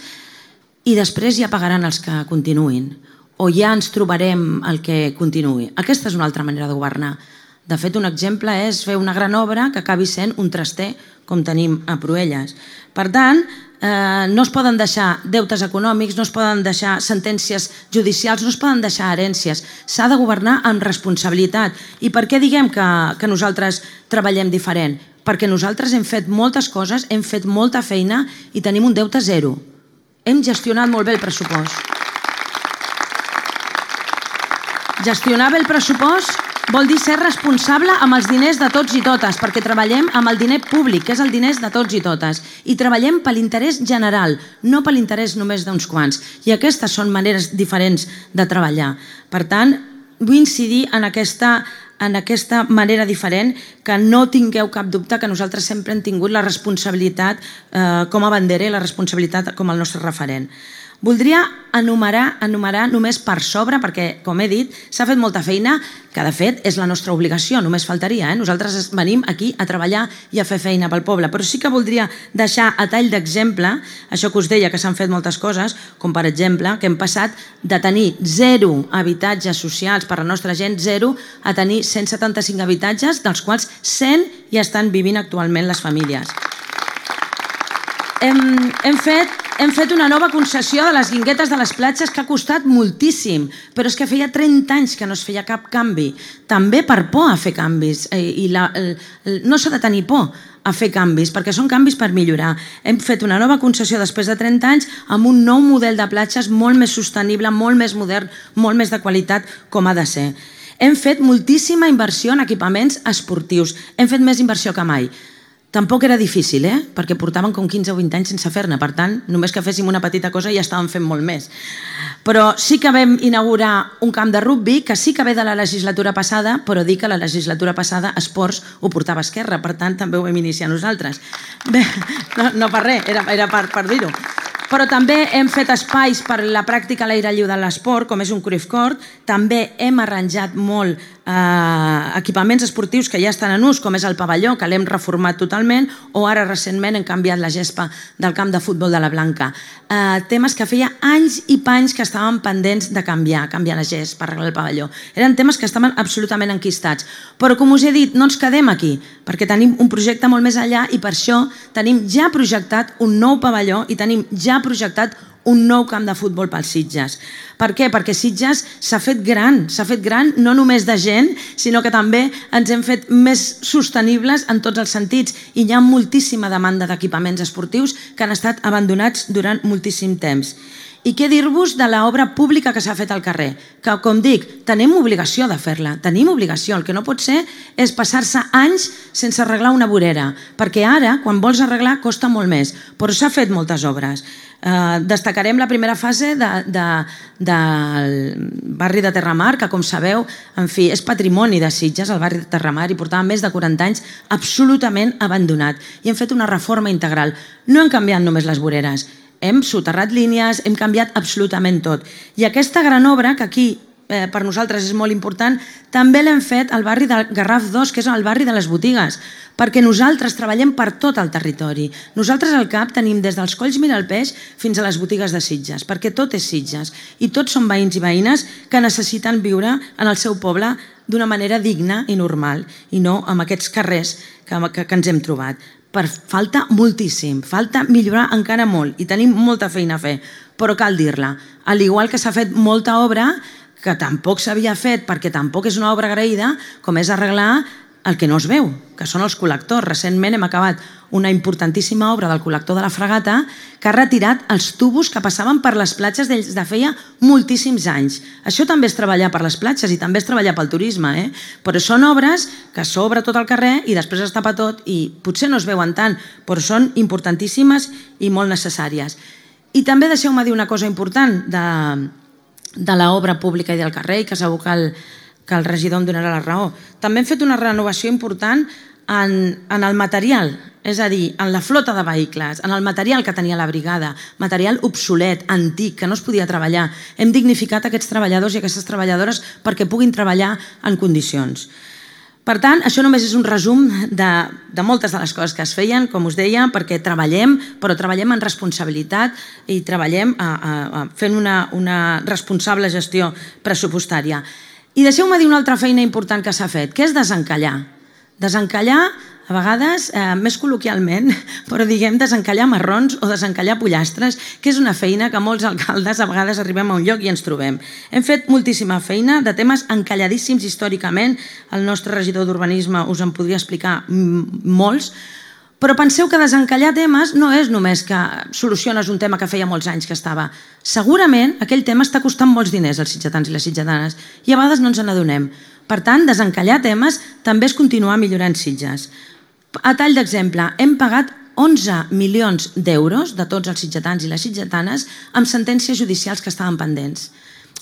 i després ja pagaran els que continuïn. O ja ens trobarem el que continuï. Aquesta és una altra manera de governar. De fet, un exemple és fer una gran obra que acabi sent un traster, com tenim a Proelles. Per tant, eh, no es poden deixar deutes econòmics, no es poden deixar sentències judicials, no es poden deixar herències. S'ha de governar amb responsabilitat. I per què diguem que, que nosaltres treballem diferent? Perquè nosaltres hem fet moltes coses, hem fet molta feina i tenim un deute zero. Hem gestionat molt bé el pressupost. Gestionar bé el pressupost vol dir ser responsable amb els diners de tots i totes, perquè treballem amb el diner públic, que és el diners de tots i totes, i treballem per l'interès general, no per l'interès només d'uns quants. I aquestes són maneres diferents de treballar. Per tant, vull incidir en aquesta, en aquesta manera diferent, que no tingueu cap dubte que nosaltres sempre hem tingut la responsabilitat eh, com a bandera i la responsabilitat com el nostre referent. Voldria enumerar, enumerar només per sobre, perquè, com he dit, s'ha fet molta feina, que de fet és la nostra obligació, només faltaria. Eh? Nosaltres venim aquí a treballar i a fer feina pel poble, però sí que voldria deixar a tall d'exemple, això que us deia que s'han fet moltes coses, com per exemple que hem passat de tenir zero habitatges socials per a la nostra gent, zero, a tenir cent setanta-cinc habitatges, dels quals cent hi estan vivint actualment les famílies. Hem, hem fet Hem fet una nova concessió de les guinguetes de les platges que ha costat moltíssim, però és que feia trenta anys que no es feia cap canvi. També per por a fer canvis. I la, no s'ha de tenir por a fer canvis, perquè són canvis per millorar. Hem fet una nova concessió després de trenta anys amb un nou model de platges molt més sostenible, molt més modern, molt més de qualitat, com ha de ser. Hem fet moltíssima inversió en equipaments esportius. Hem fet més inversió que mai. Tampoc era difícil, eh? Perquè portàvem com quinze o vint anys sense fer-ne, per tant, només que féssim una petita cosa ja estàvem fent molt més. Però sí que vam inaugurar un camp de rugbi, que sí que ve de la legislatura passada, però dic que la legislatura passada esports ho portava Esquerra, per tant també ho vam iniciar nosaltres. Bé, no, no per res, era, era per, per dir-ho. Però també hem fet espais per la pràctica a l'aire lliure de l'esport, com és un Cruyff Court. També hem arranjat molt eh, equipaments esportius que ja estan en ús, com és el pavelló, que l'hem reformat totalment, o ara recentment hem canviat la gespa del camp de futbol de la Blanca. Eh, temes que feia anys i panys que estaven pendents de canviar, canviar la gespa, arreglar el pavelló. Eren temes que estaven absolutament enquistats. Però, com us he dit, no ens quedem aquí, perquè tenim un projecte molt més enllà i per això tenim ja projectat un nou pavelló i tenim ja projectat un nou camp de futbol pels Sitges. Per què? Perquè Sitges s'ha fet gran, s'ha fet gran no només de gent, sinó que també ens hem fet més sostenibles en tots els sentits i hi ha moltíssima demanda d'equipaments esportius que han estat abandonats durant moltíssim temps. I què dir-vos de l'obra pública que s'ha fet al carrer? Que, com dic, tenim obligació de fer-la, tenim obligació. El que no pot ser és passar-se anys sense arreglar una vorera, perquè ara, quan vols arreglar, costa molt més, però s'ha fet moltes obres. Eh, destacarem la primera fase de, de, del barri de Terramar, que, com sabeu, en fi, és patrimoni de Sitges, el barri de Terramar, i portava més de quaranta anys absolutament abandonat. I hem fet una reforma integral. No hem canviat només les voreres, hem soterrat línies, hem canviat absolutament tot. I aquesta gran obra, que aquí eh, per nosaltres és molt important, també l'hem fet al barri del Garraf dos, que és el barri de les botigues, perquè nosaltres treballem per tot el territori. Nosaltres al CAP tenim des dels Colls Miralpeix fins a les botigues de Sitges, perquè tot és Sitges i tots són veïns i veïnes que necessiten viure en el seu poble d'una manera digna i normal i no amb aquests carrers que, que, que ens hem trobat. Per falta moltíssim, falta millorar encara molt i tenim molta feina a fer, però cal dir-la. Al igual que s'ha fet molta obra que tampoc s'havia fet perquè tampoc és una obra agraïda, com és arreglar el que no es veu, que són els col·lectors. Recentment hem acabat una importantíssima obra del col·lector de la Fragata que ha retirat els tubos que passaven per les platges des de feia moltíssims anys. Això també és treballar per les platges i també és treballar pel turisme, eh? Però són obres que s'obre tot el carrer i després es tapa tot i potser no es veuen tant, però són importantíssimes i molt necessàries. I també deixeu-me dir una cosa important de, de l'obra pública i del carrer, i que segur que el, que el regidor em donarà la raó. També hem fet una renovació important en, en el material, és a dir, en la flota de vehicles, en el material que tenia la brigada, material obsolet, antic, que no es podia treballar. Hem dignificat aquests treballadors i aquestes treballadores perquè puguin treballar en condicions. Per tant, això només és un resum de, de moltes de les coses que es feien, com us deia, perquè treballem, però treballem en responsabilitat i treballem a, a, a, fent una, una responsable gestió pressupostària. I deixeu-me dir una altra feina important que s'ha fet, que és desencallar. Desencallar, a vegades, eh, més col·loquialment, però diguem desencallar marrons o desencallar pollastres, que és una feina que molts alcaldes a vegades arribem a un lloc i ens trobem. Hem fet moltíssima feina de temes encalladíssims històricament. El nostre regidor d'Urbanisme us en podria explicar molts, però penseu que desencallar temes no és només que soluciones un tema que feia molts anys que estava. Segurament aquell tema està costant molts diners als sitgetans i les sitgetanes i a vegades no ens n'adonem. Per tant, desencallar temes també és continuar millorant Sitges. A tall d'exemple, hem pagat onze milions d'euros de tots els sitgetans i les sitgetanes amb sentències judicials que estaven pendents.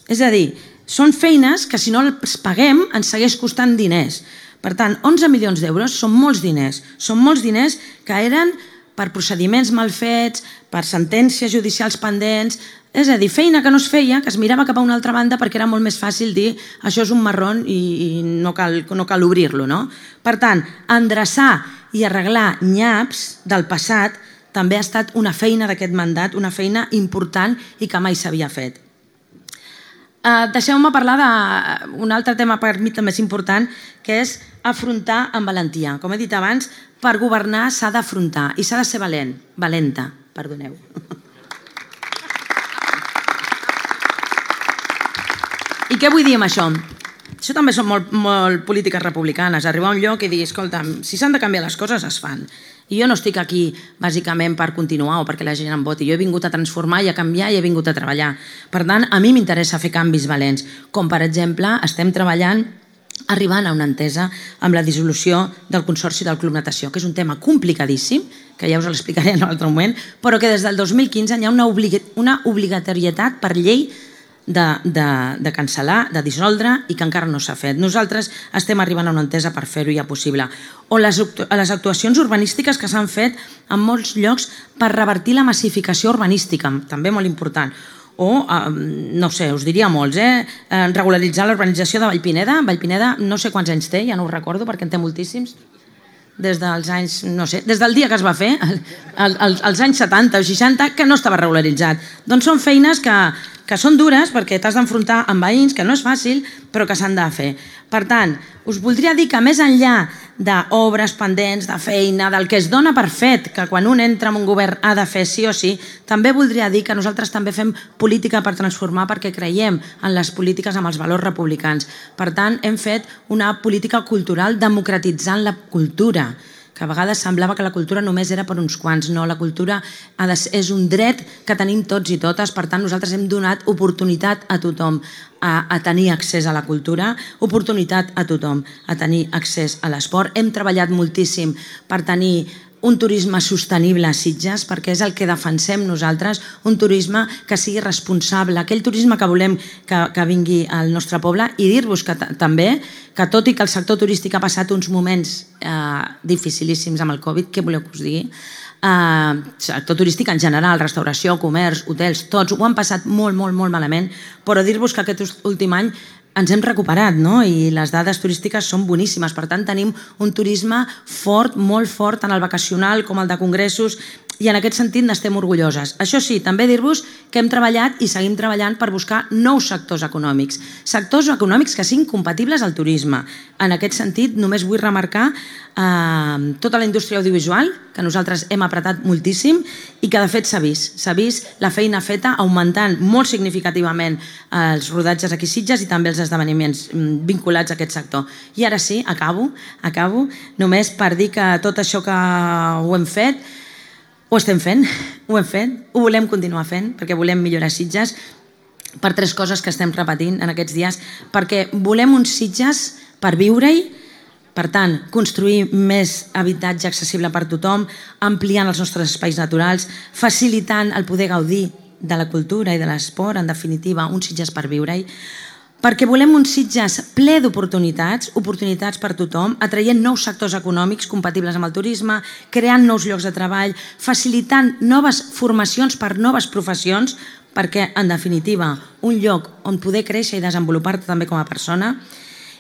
És a dir, són feines que si no les paguem ens segueix costant diners. Per tant, onze milions d'euros són molts diners. Són molts diners que eren per procediments mal fets, per sentències judicials pendents, és a dir, feina que no es feia, que es mirava cap a una altra banda perquè era molt més fàcil dir això és un marrón i, i no cal, no cal obrir-lo, no? Per tant, endreçar i arreglar nyaps del passat també ha estat una feina d'aquest mandat, una feina important i que mai s'havia fet. Uh, Deixeu-me parlar d'un altre tema per mi també és important, que és afrontar amb valentia. Com he dit abans, per governar s'ha d'afrontar i s'ha de ser valent, valenta, perdoneu. I què vull dir amb això? Això també són molt, molt polítiques republicanes, arribar a un lloc i dir, escolta, si s'han de canviar les coses, es fan. I jo no estic aquí bàsicament per continuar o perquè la gent em voti. Jo he vingut a transformar i a canviar i he vingut a treballar. Per tant, a mi m'interessa fer canvis valents, com per exemple estem treballant arribant a una entesa amb la dissolució del Consorci del Club Natació, que és un tema complicadíssim, que ja us l'explicaré en un altre moment, però que des del dos mil quinze hi ha una, obliga una obligatorietat per llei de, de, de cancel·lar, de dissoldre i que encara no s'ha fet. Nosaltres estem arribant a una entesa per fer-ho ja possible. O les, les actuacions urbanístiques que s'han fet en molts llocs per revertir la massificació urbanística, també molt important. O, no sé, us diria molts, eh? regularitzar la urbanització de Vallpineda. Vallpineda no sé quants anys té, ja no ho recordo perquè en té moltíssims. Des dels anys, no sé, des del dia que es va fer, als anys setanta o seixanta, que no estava regularitzat. Doncs són feines que, que són dures perquè t'has d'enfrontar amb veïns, que no és fàcil, però que s'han de fer. Per tant, us voldria dir que més enllà d'obres pendents, de feina, del que es dona per fet, que quan un entra en un govern ha de fer sí o sí, també voldria dir que nosaltres també fem política per transformar perquè creiem en les polítiques amb els valors republicans. Per tant, hem fet una política cultural democratitzant la cultura, que a vegades semblava que la cultura només era per uns quants. No, la cultura és un dret que tenim tots i totes, per tant nosaltres hem donat oportunitat a tothom a, a tenir accés a la cultura, oportunitat a tothom a tenir accés a l'esport. Hem treballat moltíssim per tenir un turisme sostenible a Sitges, perquè és el que defensem nosaltres, un turisme que sigui responsable, aquell turisme que volem que, que vingui al nostre poble, i dir-vos que també, que tot i que el sector turístic ha passat uns moments eh, dificilíssims amb el Covid, què voleu que us digui? Eh, sector turístic en general, restauració, comerç, hotels, tots ho han passat molt, molt, molt malament, però dir-vos que aquest últim any ens hem recuperat, no? I les dades turístiques són boníssimes. Per tant, tenim un turisme fort, molt fort, tant el vacacional com el de congressos, i en aquest sentit n'estem orgulloses. Això sí, també dir-vos que hem treballat i seguim treballant per buscar nous sectors econòmics. Sectors econòmics que siguin compatibles al turisme. En aquest sentit, només vull remarcar eh, tota la indústria audiovisual, que nosaltres hem apretat moltíssim i que de fet s'ha vist. S'ha vist la feina feta augmentant molt significativament els rodatges aquí a Sitges i també els esdeveniments vinculats a aquest sector. I ara sí, acabo, acabo, només per dir que tot això que ho hem fet, ho estem fent, ho hem fet, ho volem continuar fent, perquè volem millorar Sitges per tres coses que estem repetint en aquests dies, perquè volem uns Sitges per viure-hi, per tant, construir més habitatge accessible per tothom, ampliant els nostres espais naturals, facilitant el poder gaudir de la cultura i de l'esport, en definitiva, uns Sitges per viure-hi, perquè volem uns Sitges ple d'oportunitats, oportunitats per tothom, atraient nous sectors econòmics compatibles amb el turisme, creant nous llocs de treball, facilitant noves formacions per noves professions, perquè, en definitiva, un lloc on poder créixer i desenvolupar-te també com a persona.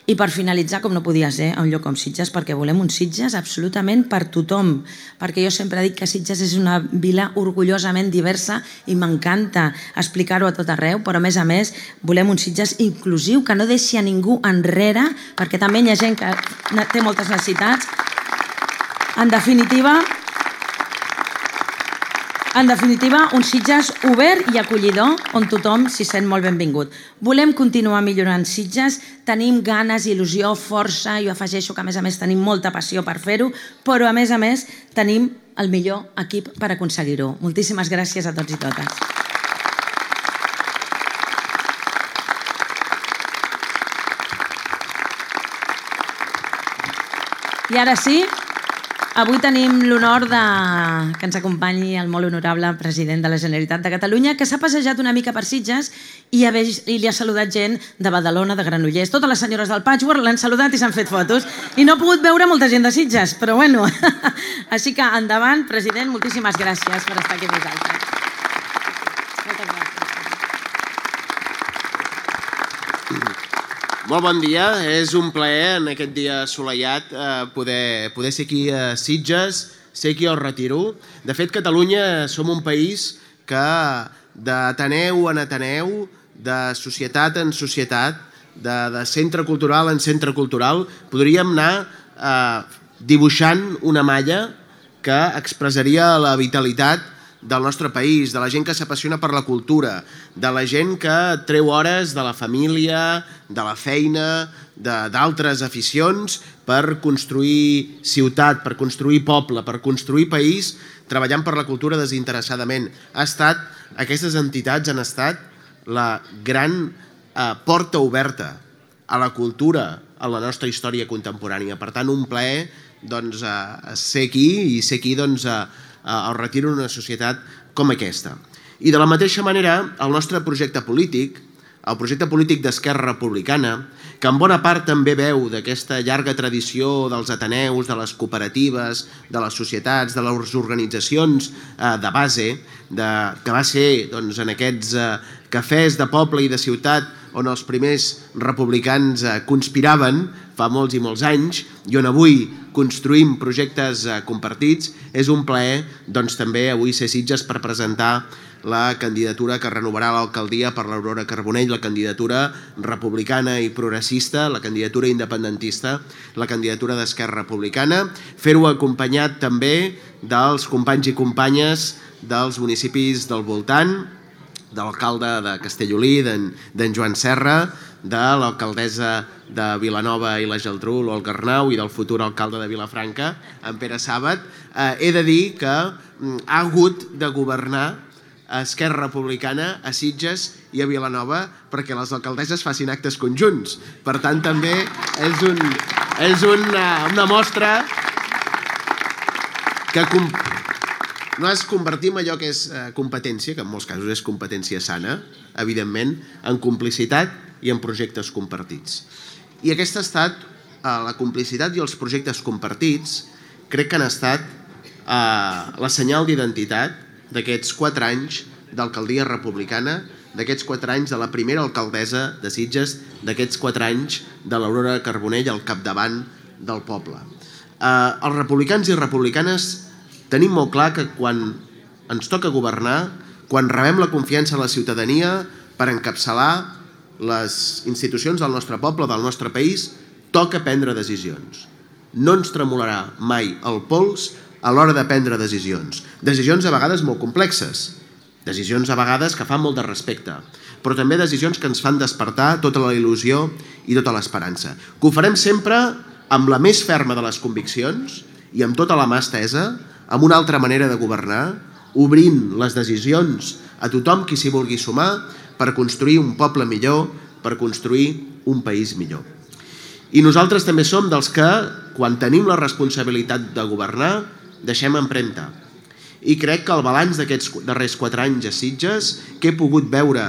I per finalitzar, com no podia ser, a un lloc com Sitges, perquè volem uns Sitges absolutament per tothom, perquè jo sempre dic que Sitges és una vila orgullosament diversa i m'encanta explicar-ho a tot arreu, però a més a més volem un Sitges inclusiu, que no deixi a ningú enrere, perquè també hi ha gent que té moltes necessitats. En definitiva, En definitiva, un Sitges obert i acollidor on tothom s'hi sent molt benvingut. Volem continuar millorant Sitges, tenim ganes, il·lusió, força, jo afegeixo que a més a més tenim molta passió per fer-ho, però a més a més tenim el millor equip per aconseguir-ho. Moltíssimes gràcies a tots i totes. I ara sí, avui tenim l'honor que ens acompanyi el molt honorable president de la Generalitat de Catalunya, que s'ha passejat una mica per Sitges i li ha saludat gent de Badalona, de Granollers. Totes les senyores del Patchwork l'han saludat i s'han fet fotos. I no ha pogut veure molta gent de Sitges, però bueno. Així que endavant, president, moltíssimes gràcies per estar aquí amb nosaltres. Moltes gràcies. Molt bon dia, és un plaer en aquest dia assolellat poder, poder ser aquí a Sitges, ser aquí al Retiro. De fet, Catalunya som un país que d'Ateneu en Ateneu, de societat en societat, de, de centre cultural en centre cultural, podríem anar eh, dibuixant una malla que expressaria la vitalitat del nostre país, de la gent que s'apassiona per la cultura, de la gent que treu hores de la família, de la feina, d'altres aficions per construir ciutat, per construir poble, per construir país, treballant per la cultura desinteressadament. Ha estat, aquestes entitats han estat la gran eh, porta oberta a la cultura, a la nostra història contemporània. Per tant, un plaer doncs, eh, ser aquí i ser aquí doncs, eh, el Retiro d'una societat com aquesta. I de la mateixa manera, el nostre projecte polític, el projecte polític d'Esquerra Republicana, que en bona part també veu d'aquesta llarga tradició dels ateneus, de les cooperatives, de les societats, de les organitzacions de base, que va ser en aquests cafès de poble i de ciutat on els primers republicans conspiraven fa molts i molts anys i on avui construïm projectes compartits, és un plaer també avui ser Sitges per presentar la candidatura que renovarà l'alcaldia per l'Aurora Carbonell, la candidatura republicana i progressista, la candidatura independentista, la candidatura d'Esquerra Republicana, fer-ho acompanyat també dels companys i companyes dels municipis del voltant, de l'alcalde de Castellolí, d'en Joan Serra, de l'alcaldessa de Vilanova i la Geltrú, l'Olga Arnau, i del futur alcalde de Vilafranca, en Pere Sàbat. He de dir que ha hagut de governar a Esquerra Republicana, a Sitges i a Vilanova perquè les alcaldesses facin actes conjunts. Per tant, també és, un, és una, una mostra que com, no es convertim allò que és competència, que en molts casos és competència sana, evidentment, en complicitat i en projectes compartits. I aquesta ha estat la complicitat i els projectes compartits, crec que han estat la senyal d'identitat d'aquests quatre anys d'alcaldia republicana, d'aquests quatre anys de la primera alcaldessa de Sitges, d'aquests quatre anys de l'Aurora Carbonell al capdavant del poble. Els republicans i republicanes tenim molt clar que quan ens toca governar, quan rebem la confiança de la ciutadania per encapçalar les institucions del nostre poble, del nostre país, toca prendre decisions. No ens tremolarà mai el pols a l'hora de prendre decisions. Decisions a vegades molt complexes, decisions a vegades que fan molt de respecte, però també decisions que ens fan despertar tota la il·lusió i tota l'esperança. Que ho farem sempre amb la més ferma de les conviccions i amb tota la mà estesa, amb una altra manera de governar, obrint les decisions a tothom qui s'hi vulgui sumar per construir un poble millor, per construir un país millor. I nosaltres també som dels que, quan tenim la responsabilitat de governar, deixem empremta. I crec que el balanç d'aquests darrers quatre anys a Sitges, que he pogut veure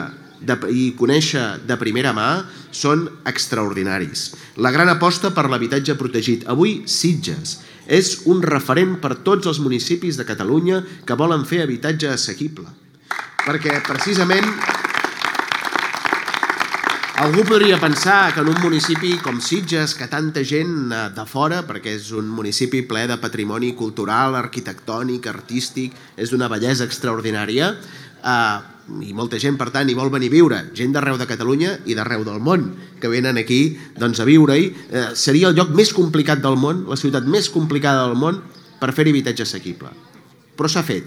i conèixer de primera mà, són extraordinaris. La gran aposta per l'habitatge protegit. Avui Sitges és un referent per tots els municipis de Catalunya que volen fer habitatge assequible. Perquè precisament algú podria pensar que en un municipi com Sitges, que tanta gent de fora, perquè és un municipi ple de patrimoni cultural, arquitectònic, artístic, és d'una bellesa extraordinària, i molta gent, per tant, hi vol venir a viure, gent d'arreu de Catalunya i d'arreu del món, que venen aquí a viure-hi. Seria el lloc més complicat del món, la ciutat més complicada del món, per fer habitatge assequible. Però s'ha fet.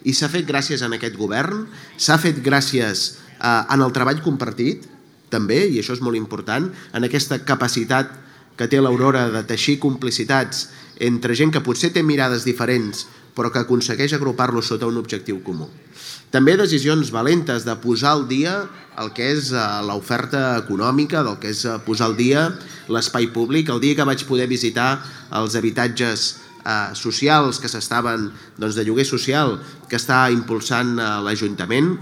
I s'ha fet gràcies a aquest govern, s'ha fet gràcies en el treball compartit, també, i això és molt important, en aquesta capacitat que té l'Aurora de teixir complicitats entre gent que potser té mirades diferents però que aconsegueix agrupar-los sota un objectiu comú. També decisions valentes de posar al dia el que és l'oferta econòmica, del que és posar al dia l'espai públic. El dia que vaig poder visitar els habitatges socials que s'estaven, doncs de lloguer social, que està impulsant l'Ajuntament,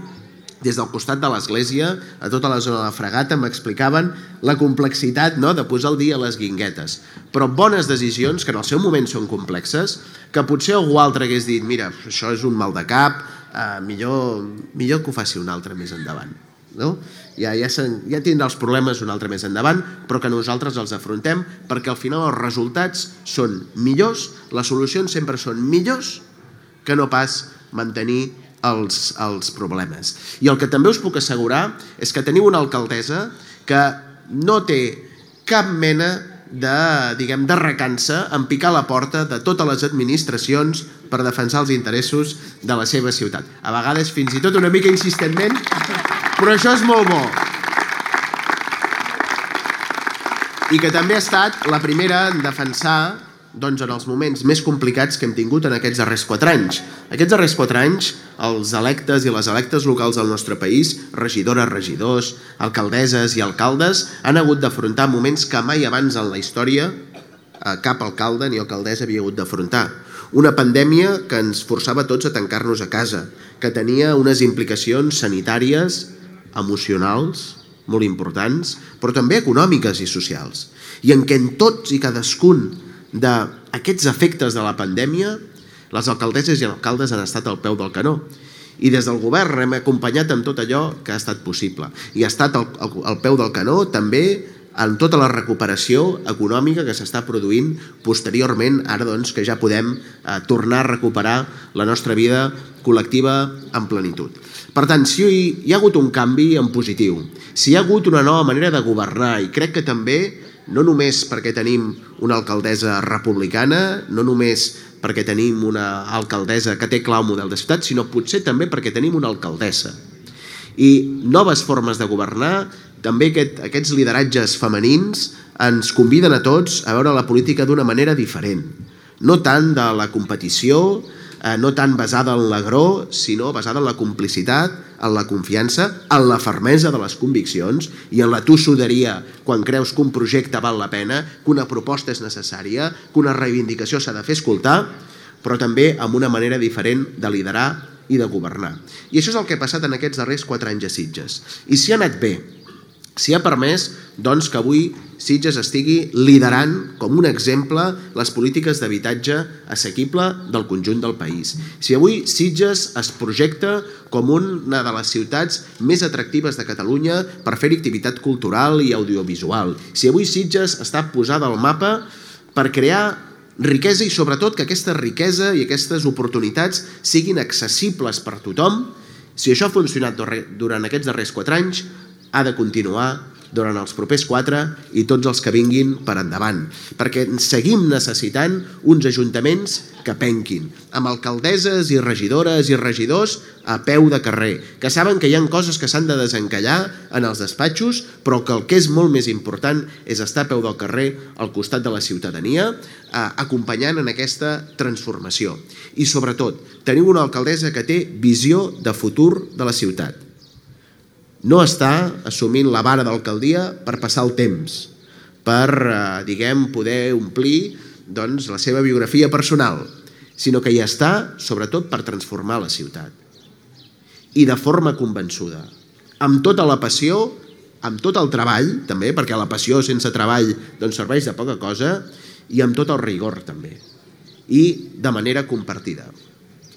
des del costat de l'església, a tota la zona de la Fragata, m'explicaven la complexitat de posar al dia les guinguetes. Però bones decisions, que en el seu moment són complexes, que potser algú altre hagués dit, mira, això és un mal de cap, millor que ho faci un altre més endavant. Ja tindrà els problemes un altre més endavant, però que nosaltres els afrontem, perquè al final els resultats són millors, les solucions sempre són millors que no pas mantenir Els, els problemes. I el que també us puc assegurar és que teniu una alcaldessa que no té cap mena de, diguem, de recança en picar la porta de totes les administracions per defensar els interessos de la seva ciutat. A vegades fins i tot una mica insistentment, però això és molt bo. I que també ha estat la primera en defensar doncs, en els moments més complicats que hem tingut en aquests darrers quatre anys. Aquests darrers quatre anys, els electes i les electes locals del nostre país, regidores, regidors, alcaldesses i alcaldes, han hagut d'afrontar moments que mai abans en la història cap alcalde ni alcaldessa havia hagut d'afrontar. Una pandèmia que ens forçava tots a tancar-nos a casa, que tenia unes implicacions sanitàries, emocionals, molt importants, però també econòmiques i socials, i en què en tots i cadascun d'aquests efectes de la pandèmia les alcaldesses i alcaldes han estat al peu del canó. I des del govern hem acompanyat amb tot allò que ha estat possible. I ha estat al, al peu del canó també en tota la recuperació econòmica que s'està produint posteriorment, ara doncs que ja podem eh, tornar a recuperar la nostra vida col·lectiva en plenitud. Per tant, si hi ha hagut un canvi en positiu, si hi ha hagut una nova manera de governar, i crec que també, no només perquè tenim una alcaldessa republicana, no només perquè tenim una alcaldessa que té clar un model de ciutat, sinó potser també perquè tenim una alcaldessa. I noves formes de governar, també aquest, aquests lideratges femenins ens conviden a tots a veure la política d'una manera diferent. No tant de la competició, eh, no tant basada en l'agró, sinó basada en la complicitat, en la confiança, en la fermesa de les conviccions i en la tossuderia quan creus que un projecte val la pena, que una proposta és necessària, que una reivindicació s'ha de fer escoltar, però també amb una manera diferent de liderar i de governar. I això és el que ha passat en aquests darrers quatre anys a Sitges. I si ha anat bé, si ha permès doncs, que avui Sitges estigui liderant com un exemple les polítiques d'habitatge assequible del conjunt del país. Si avui Sitges es projecta com una de les ciutats més atractives de Catalunya per fer activitat cultural i audiovisual. Si avui Sitges està posada al mapa per crear riquesa i sobretot que aquesta riquesa i aquestes oportunitats siguin accessibles per tothom, si això ha funcionat durant aquests darrers quatre anys, ha de continuar durant els propers quatre i tots els que vinguin per endavant, perquè seguim necessitant uns ajuntaments que penquin, amb alcaldesses i regidores i regidors a peu de carrer, que saben que hi ha coses que s'han de desencallar en els despatxos, però que el que és molt més important és estar a peu del carrer al costat de la ciutadania, acompanyant en aquesta transformació. I sobretot, tenim una alcaldessa que té visió de futur de la ciutat. No està assumint la vara d'alcaldia per passar el temps, per, diguem, poder omplir doncs, la seva biografia personal, sinó que hi està, sobretot, per transformar la ciutat. I de forma convençuda, amb tota la passió, amb tot el treball, també, perquè la passió sense treball doncs, serveix de poca cosa, i amb tot el rigor, també. I de manera compartida.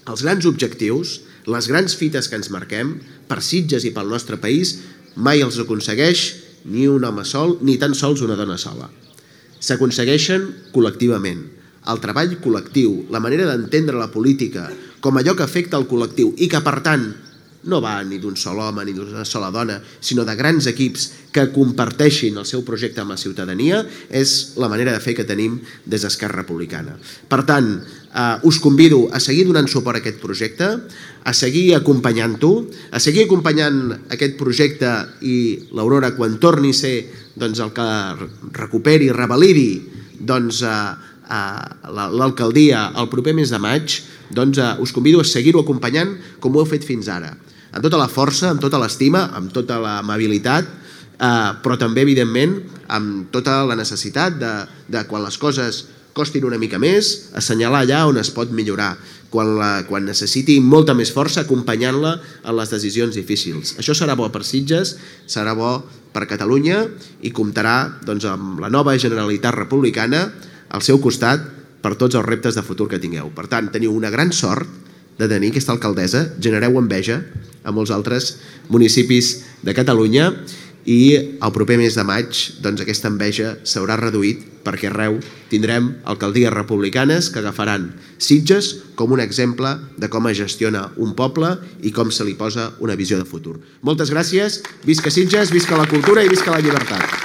Els grans objectius, les grans fites que ens marquem, per Sitges i pel nostre país, mai els aconsegueix ni un home sol, ni tan sols una dona sola. S'aconsegueixen col·lectivament. El treball col·lectiu, la manera d'entendre la política com allò que afecta el col·lectiu i que, per tant, no va ni d'un sol home ni d'una sola dona, sinó de grans equips que comparteixin el seu projecte amb la ciutadania, és la manera de fer que tenim des d'Esquerra Republicana. Per tant, eh, us convido a seguir donant suport a aquest projecte, a seguir acompanyant-ho, a seguir acompanyant aquest projecte i l'Aurora, quan torni a ser doncs, el que recuperi, revalidi doncs, eh, l'alcaldia el proper mes de maig, doncs eh, us convido a seguir-ho acompanyant com ho heu fet fins ara, amb tota la força, amb tota l'estima, amb tota l'amabilitat, eh, però també, evidentment, amb tota la necessitat de, de quan les coses costin una mica més, assenyalar allà on es pot millorar, quan, la, quan necessiti molta més força, acompanyant-la en les decisions difícils. Això serà bo per Sitges, serà bo per Catalunya i comptarà doncs, amb la nova Generalitat Republicana al seu costat per tots els reptes de futur que tingueu. Per tant, teniu una gran sort de tenir aquesta alcaldessa, genereu enveja a molts altres municipis de Catalunya i el proper mes de maig doncs, aquesta enveja s'haurà reduït perquè arreu tindrem alcaldies republicanes que agafaran Sitges com un exemple de com es gestiona un poble i com se li posa una visió de futur. Moltes gràcies, visca Sitges, visca la cultura i visca la llibertat.